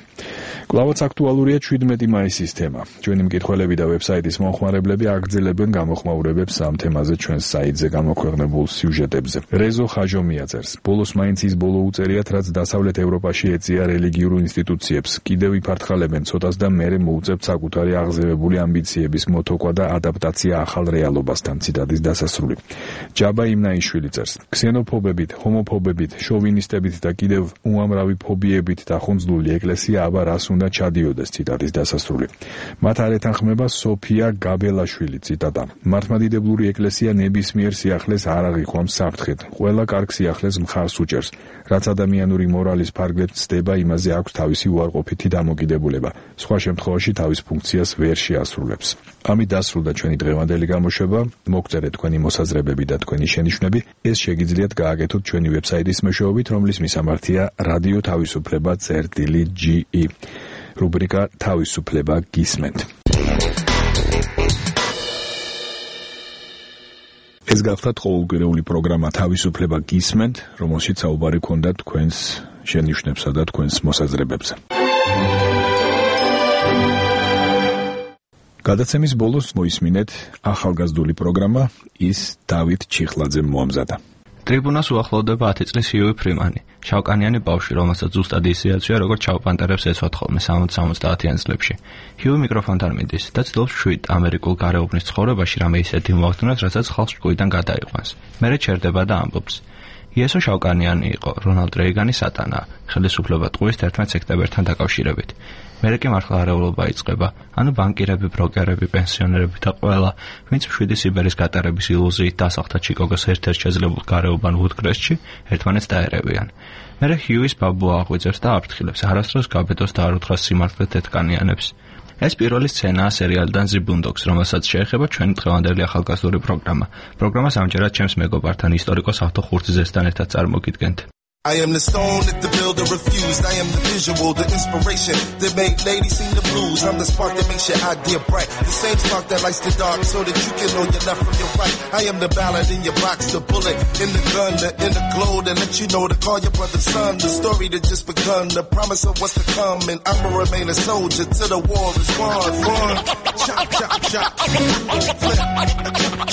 კვლავაც აქტუალურია შვიდმეტი მაისის თემა. ჩვენი მკითხველები და ვებსაიტის მომხმარებლები აგრძელებენ გამოხმაურებებს ამ თემაზე ჩვენს საიტზე გამოქვეყნებულ სიუჟეტებზე. რეზო ხაჟომია წერს. ბოლოს მაინც ის ბოლო უწერიათ, რაც დასავლეთ ევროპაში ეწია რელიგიურ ინსტიტუციებს. კიდევ იფართხალებენ ცოტას და მერე მოუწევთ საკუთარი აღზევებული ამბიციების მოთოქვა და ადაპტაცია ახალ რეალობასთან. ციტატის დასასრული. ჯაბა იმნაიშვილი წერს. ქსენოფობებით, ჰომოფობებით, შოვინისტებით და კიდევ უამრავი ფობიებით დახუნძლული ეკლესია აბა რას უნდა ჩადიოდეს. ციტატის დასასრული. მათ არ ეთანხმება სოფია გაბელაშვილი. ციტატა. მართლმადიდებლური ეკლესია ნებისმიერ სიახლეს არ აღიქვამს საფრთხედ. ყველა კარგ სიახლეს მხარს უჭერს. რაც ადამიანური მორალის ფარგლებს ცდება, იმაზე აქვს თავისი უარყოფითი დამოკიდებულება. სხვა შემთხვევაში თავის ფუნქციას ვერ შეასრულებს. ამით დასრულდა ჩვენი დღევანდელი გამოშვება. მოგწერეთ თქვენი მოსაზრებები და თქვენი შენიშვნები. ეს შეგიძლიათ გააკეთოთ ჩვენი ვებსაიტის მეშვეობით, რომლის მისამართია რადიო თავისუფლება წერტილი ჯი ი. რუბრიკა თავისუფლება გისმენთ. ეს გახლავთ ყოველკვირეული პროგრამა თავისუფლება გისმენთ, რომელშიც საუბარი გქონდა თქვენს შენიშვნებსა და თქვენს მოსაზრებებზე. გადაცემის ბოლოს მოისმინეთ ახალგაზრდული პროგრამა ის დავით ჩიხლაძემ მოამზადა. ტრიბუნას უახლოვდება ათი წლის ჰიუი ფრიმანი, შავკანიანი ბავშვი, რომელსაც ზუსტად ისე აცვია, როგორც ჩავპანტერებს ეცვათ ხოლმე სამოცდაათიან წლებში. ჰიუი მიკროფონთან მიდის და ცდილობს შვიდ ამერიკულ გარეუბნის ცხოვრებაში რამე ისეთი მოახდინოს, რასაც ხალხს ჭკუიდან გადაიყვანს. მერე ჩერდება და ამბობს: იესო შავკანიანი იყო რონალდ რეიგანის სატანა, ხელისუფლება ტყუის თერთმეტ სექტემბერთან დაკავშირებით. მერე კი მართლა არეულობა იწყება, ანუ ბანკირები, ბროკერები, პენსიონერები და ყველა, ვინც მშვიდი სიბერის გატარების ილუზიით დასახლდა ჩიკაგოს ერთ-ერთ შეძლებულ გარეუბან ვუდკრესტში, ერთმანეთს დაერევიან. მერე ჰიუის ბაბუა აღვიძებს და აფრთხილებს, არასდროს გაბედოს და არ უთხრას სიმართლე თეთრკანიანებს. ეს პირველი სცენაა სერიალიდან The Boondocks, რომელსაც შეეხება ჩვენი დღევანდელი ახალგაზრდული პროგრამა. პროგრამას ამჯერად ჩემს მეგობართან ისტორიკოს ავთო ხურციზესთან ერთად წარმოგიდგენთ. I am the stone that the builder refused. I am the visual, the inspiration that made ladies sing the blues. I'm the spark that makes your idea bright. The same spark that lights the dark so that you can know your left from your right. I am the ballad in your box, the bullet in the gun, the inner glow that let you know to call your brother son. The story that just begun, the promise of what's to come. And I'ma remain a soldier till the war is won. Run, chop, chop, chop, flip, chop, chop,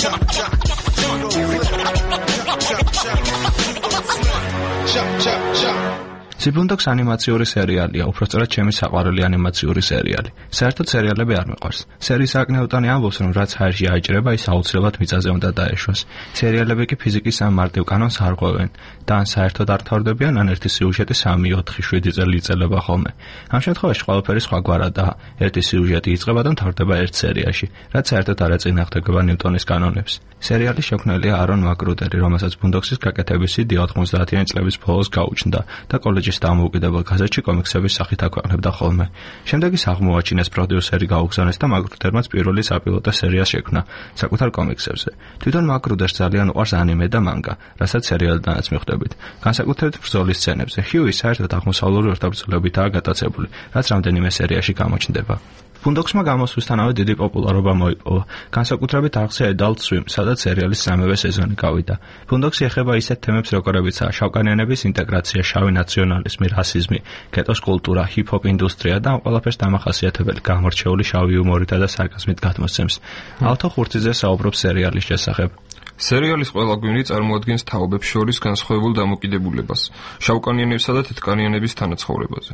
chop, chop, chop, chop, chop, chop. The Boondocks ანიმაციური სერიალია, უпростоრად ჩემი საყვარელი ანიმაციური სერიალი. საერთოდ სერიალები არ მიყვარს. სერიის აკნეუტანი ამბობს, რომ რაც ჰაერში აიჭრება, ის აუცილებლად მიწაზე უნდა დაეშვას. სერიალები კი ფიზიკის ამ მარტივ კანონს არ ყვევენ და ან საერთოდ არ თავდებიან, ან ერთი სიუჟეტი სამი, ოთხი, შვიდი წელი იწელება ხოლმე. ამ შემთხვევაში ყველაფერი სხვაგვარადაა. ერთი სიუჟეტი იწყება და მთავრდება ერთ სერიაში, რაც საერთოდ არ ეწინააღმდეგება ნიუტონის კანონებს. სერიალი შექმნილია არონ მაკრუდერი, რომელსაც Boondocks-ის გაკეთების იდეა ოთხმოცდაათიანი წლების ბოლოს გაუჩნდა და კოლეჯის დამოუკიდებელ გაზეთში კომიქსების სახით აქვეყნებდა ხოლმე. შემდეგ ის აღმოაჩინეს, პროდიუსერი გაუგზავნეს და მაკრუდერმაც პირველი საპილოტო სერია შექმნა საკუთარ კომიქსებზე. თვითონ მაკრუდერს ძალიან უყვარს ანიმე და მანგა, რასაც სერიალიდანაც მიხვდებით. განსაკუთრებით ბრძოლის სცენებზე. ჰიუი საერთოდ აღმოსავლური ორთაბრძოლებითაა გატაცებული, რაც რამდენიმე სერიაში გამოჩნდება. Boondocks-მა გამოსვლისთანავე დიდი პოპულარობა მოიპოვა. განსაკუთრებით არხზე Adult Swim, სადაც სერიალის სამივე სეზონი გავიდა. Boondocks-ი ეხება ისეთ თემებს, როგორებიცაა შავკანიანების ინტეგრაცია, შავი ნაციონალიზმი, რასიზმი, გეტოს კულტურა, ჰიპ-ჰოპ ინდუსტრია და ამ ყველაფერს დამახასიათებელი გამორჩეული შავი იუმორითა და სარკაზმით გადმოსცემს. ავთო ხურციძე საუბრობს სერიალის შესახებ. სერიალის ყველა გვინი წარმოადგენს თაობებს შორის განსხვავებულ დამოკიდებულებას, შავკანიანებსა და თეთრკანიანების თანაცხოვრებაზე.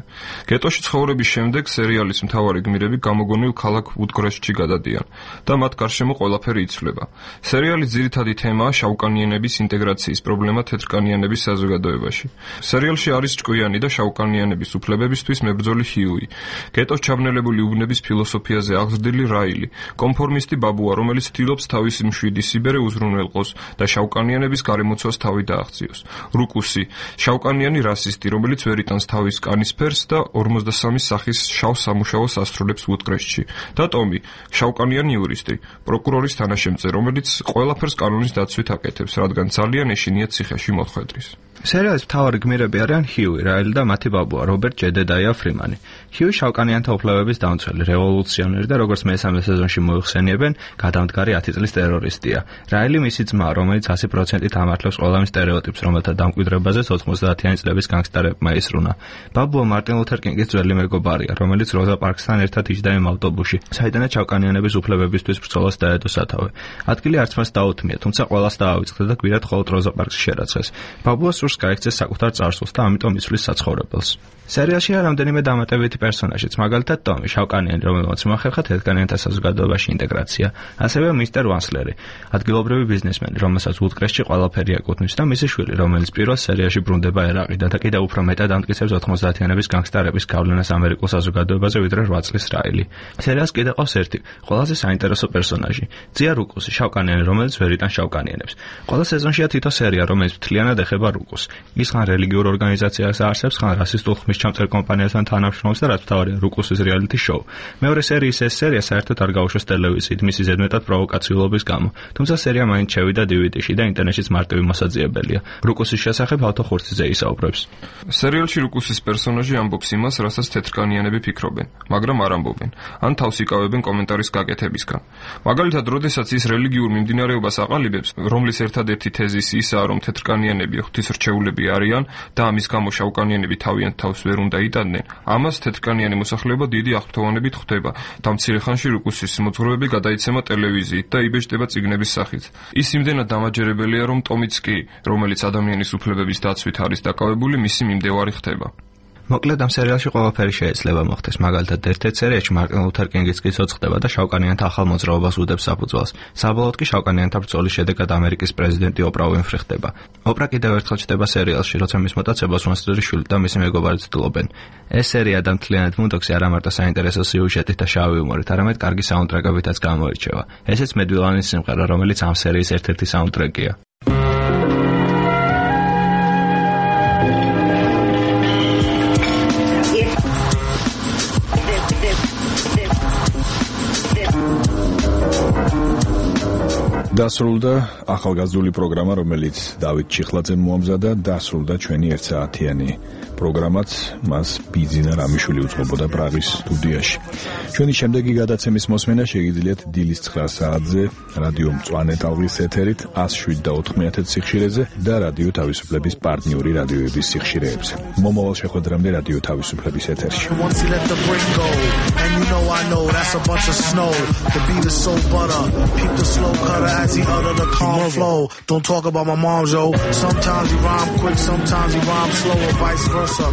გეტოში ცხოვრების შემდეგ სერიალის მთავარი გმირები გამოგონილ ქალაქ ვუდკრესტში გადადიან და მათ გარშემო ყველაფერი იცვლება. სერიალის ძირითადი თემაა შავკანიანების ინტეგრაციის პრობლემა თეთრკანიანების საზოგადოებაში. სერიალში არის ჭკვიანი და შავკანიანების უფლებებისთვის მებრძოლი ჰიუი, გეტოს ჩაბნელებული უბნების ფილოსოფიაზე აღზრდილი რაილი, კონფორმისტი ბაბუა, რომელიც ცდილობს თავისი მშვიდი სიბერე უზრუნველყოს და შავკანიანების გარემოცვას თავი დააღწიოს. რუკუსი, შავკანიანი რასისტი, რომელიც ვერ იტანს თავის კანის ფერს და ორმოცდასამი სახის შავ სამუშაოს ასრულებს ვუდკრესტში. და ტომი, შავკანიანი იურისტი, პროკურორის თანაშემწე, რომელიც ყველაფერს კანონის დაცვით აკეთებს, რადგან ძალიან ეშინია ციხეში მოხვედრის. სერიალის მთავარი გმირები არიან ჰიუი, რაილი და მათი ბაბუა, რობერტ ჯედედაია ფრიმანი. ჰიუი შავკანიანთა უფლებების დამცველი, რევოლუციონერი და როგორც მესამე სეზონში მოიხსენიებენ, გადამდგარი ათი წლის ტერორისტია. რაილი მისი ძმა, რომელიც ასი პროცენტით ამართლებს ყველა იმ სტერეოტიპს, რომელთა დამკვიდრებაზეც ოთხმოცდაათიანი წლების განგსტერებმა ისრუნა. ბაბუა მარტინ ლუთერ კინგის ძველი მეგობარია, რომელიც როზა პარკსთან ერთად იჯდა იმ ავტობუსში, საიდანაც შავკანიანების უფლებებისთვის ბრძოლას დაედო სათავე. ადგილი არც მას დაუთმია, თუმცა ყველას დაავიწყდა და გვირად მხოლოდ როზა პარკსი შერაცხეს. ბაბუას სურს გაიქცეს საკუთარ წარსულს და ამიტომ იცვლის საცხოვრებელს. სერიალშია რამდენიმე დამატებითი პერსონაჟიც, მაგალითად ტომი, შავკანიანი, რომელმაც მოახერხა თეთრკანიანთა საზოგადოებაში ინტეგრაცია, ასევე მისტერ ვანსლერი, ადგილობრივი ბიზნესმენი, რომელსაც ვუდკრესტში ყველაფერი ეკუთვნის და მისი შვილი, რომელიც პირველ სერიაში ბრუნდება ერაყიდან და კიდევ უფრო მეტად ამტკიცებს ოთხმოცდაათიანების განგსტერების გავლენას ამერიკულ საზოგადოებაზე ვიდრე რვა წლის რაილი. სერიალს კიდევ ყავს ერთი, ყველაზე საინტერესო პერსონაჟი, ძია რუკუსი, შავკანიანი, რომელიც ვერ იტანს შავკანიანებს. ყველა სეზონშია თითო სერია, რომელიც მთლიანად ეხება რუკუსს. ის ხან რელიგიურ ორგანიზაციას არსებს, ხან რასისტულ ხმისჩამწერ კომპანიასთან თანამშრომლობს და რაც მთავარია რუკუსის რეალიტი შოუ. მეორე სერიის ეს სერია საერთოდ არ გაუშვეს ტელევიზიით, მისი ზედმეტად პროვოკაციულობის გამო. თუმცა სერია მაინც შევიდა დი ვი დი-ში და ინტერნეტშიც მარტივი მოსაძიებელია. რუკუსის შესახებ ავთო ხურციძე ისაუბრებს. სერიალში რუკუსის პერსონაჟი ამბობს იმას, რასაც თეთრკანიანები ფიქრობენ, მაგრამ არ ამბობენ, ან თავს იკავებენ კომენტარის გაკეთებისგან. მაგალითად, როდესაც ის რელიგიურ მიმდინარეობას აყალიბებს, რომლის ერთადერთი თეზისი ისაა, რომ თეთრკანიანები ღვთისმრჩეულები არიან და ამის გამო შავკანიანები თავიანთ თავს ვერ უნდა იტანდნენ, ამას თეთრკანიანი მოსახლეობა დიდი აღფრთოვანებით ხვდება და მცირე ხანში რუკუსის მოძღვრებები გადაიცემა ტელევიზიით და იბეჭდება წიგნების სახით. ის იმდენად დამაჯერებელია, რომ ტომიც კი, რომელიც ადამიანის უფლებების დაცვით არის დაკავებული, მისი მიმდევარი ხდება. მოკლედ ამ სერიალში ყველაფერი შეიძლება მოხდეს. მაგალითად, ერთ-ერთ სერიაში მარტინ ლუთერ კინგის კიცოც ხდება და შავკანიანთა ახალ მოძრაობას უდებს საფუძველს. საბოლოოდ კი შავკანიანთა ბრძოლის შედეგად ამერიკის პრეზიდენტი ოპრა უინფრი ხდება. ოპრა კიდევ ერთხელ ჩნდება სერიალში, როცა მის მოტაცებას უინსტონის შვილი და მისი მეგობარი ცდილობენ. ეს სერია და მთლიანად მუნდოქსი არა მარტო საინტერესო სიუჟეტით და შავი იუმორით, არამედ კარგი საუნდტრეკებითაც გამოირჩევა. ესეც მედვილანის სიმღერა, რომელიც ამ სერიის ერთ-ერთი საუნდტრეკია. დასრულდა ახალგაზრდული პროგრამა, რომელიც დავით ჩიხლაძემ მოამზადა, დასრულდა ჩვენი ერთსაათიანი პროგრამაც, მას ბიძინა რამიშვილი უწყობოდა პრაღის სტუდიაში. ჩვენი შემდეგი გადაცემის მოსმენა შეგიძლიათ დილის ცხრა საათზე რადიო მწვანე ტალღის ეთერით one oh seven point four სიხშირეზე და რადიო თავისუფლების პარტნიორი რადიოების სიხშირეებზე. მომავალ შეხვედრამდე რადიო თავისუფლების ეთერში. He utter the calm flow. Don't talk about my mom, yo. Sometimes he rhyme quick, sometimes he rhyme slow, or vice versa.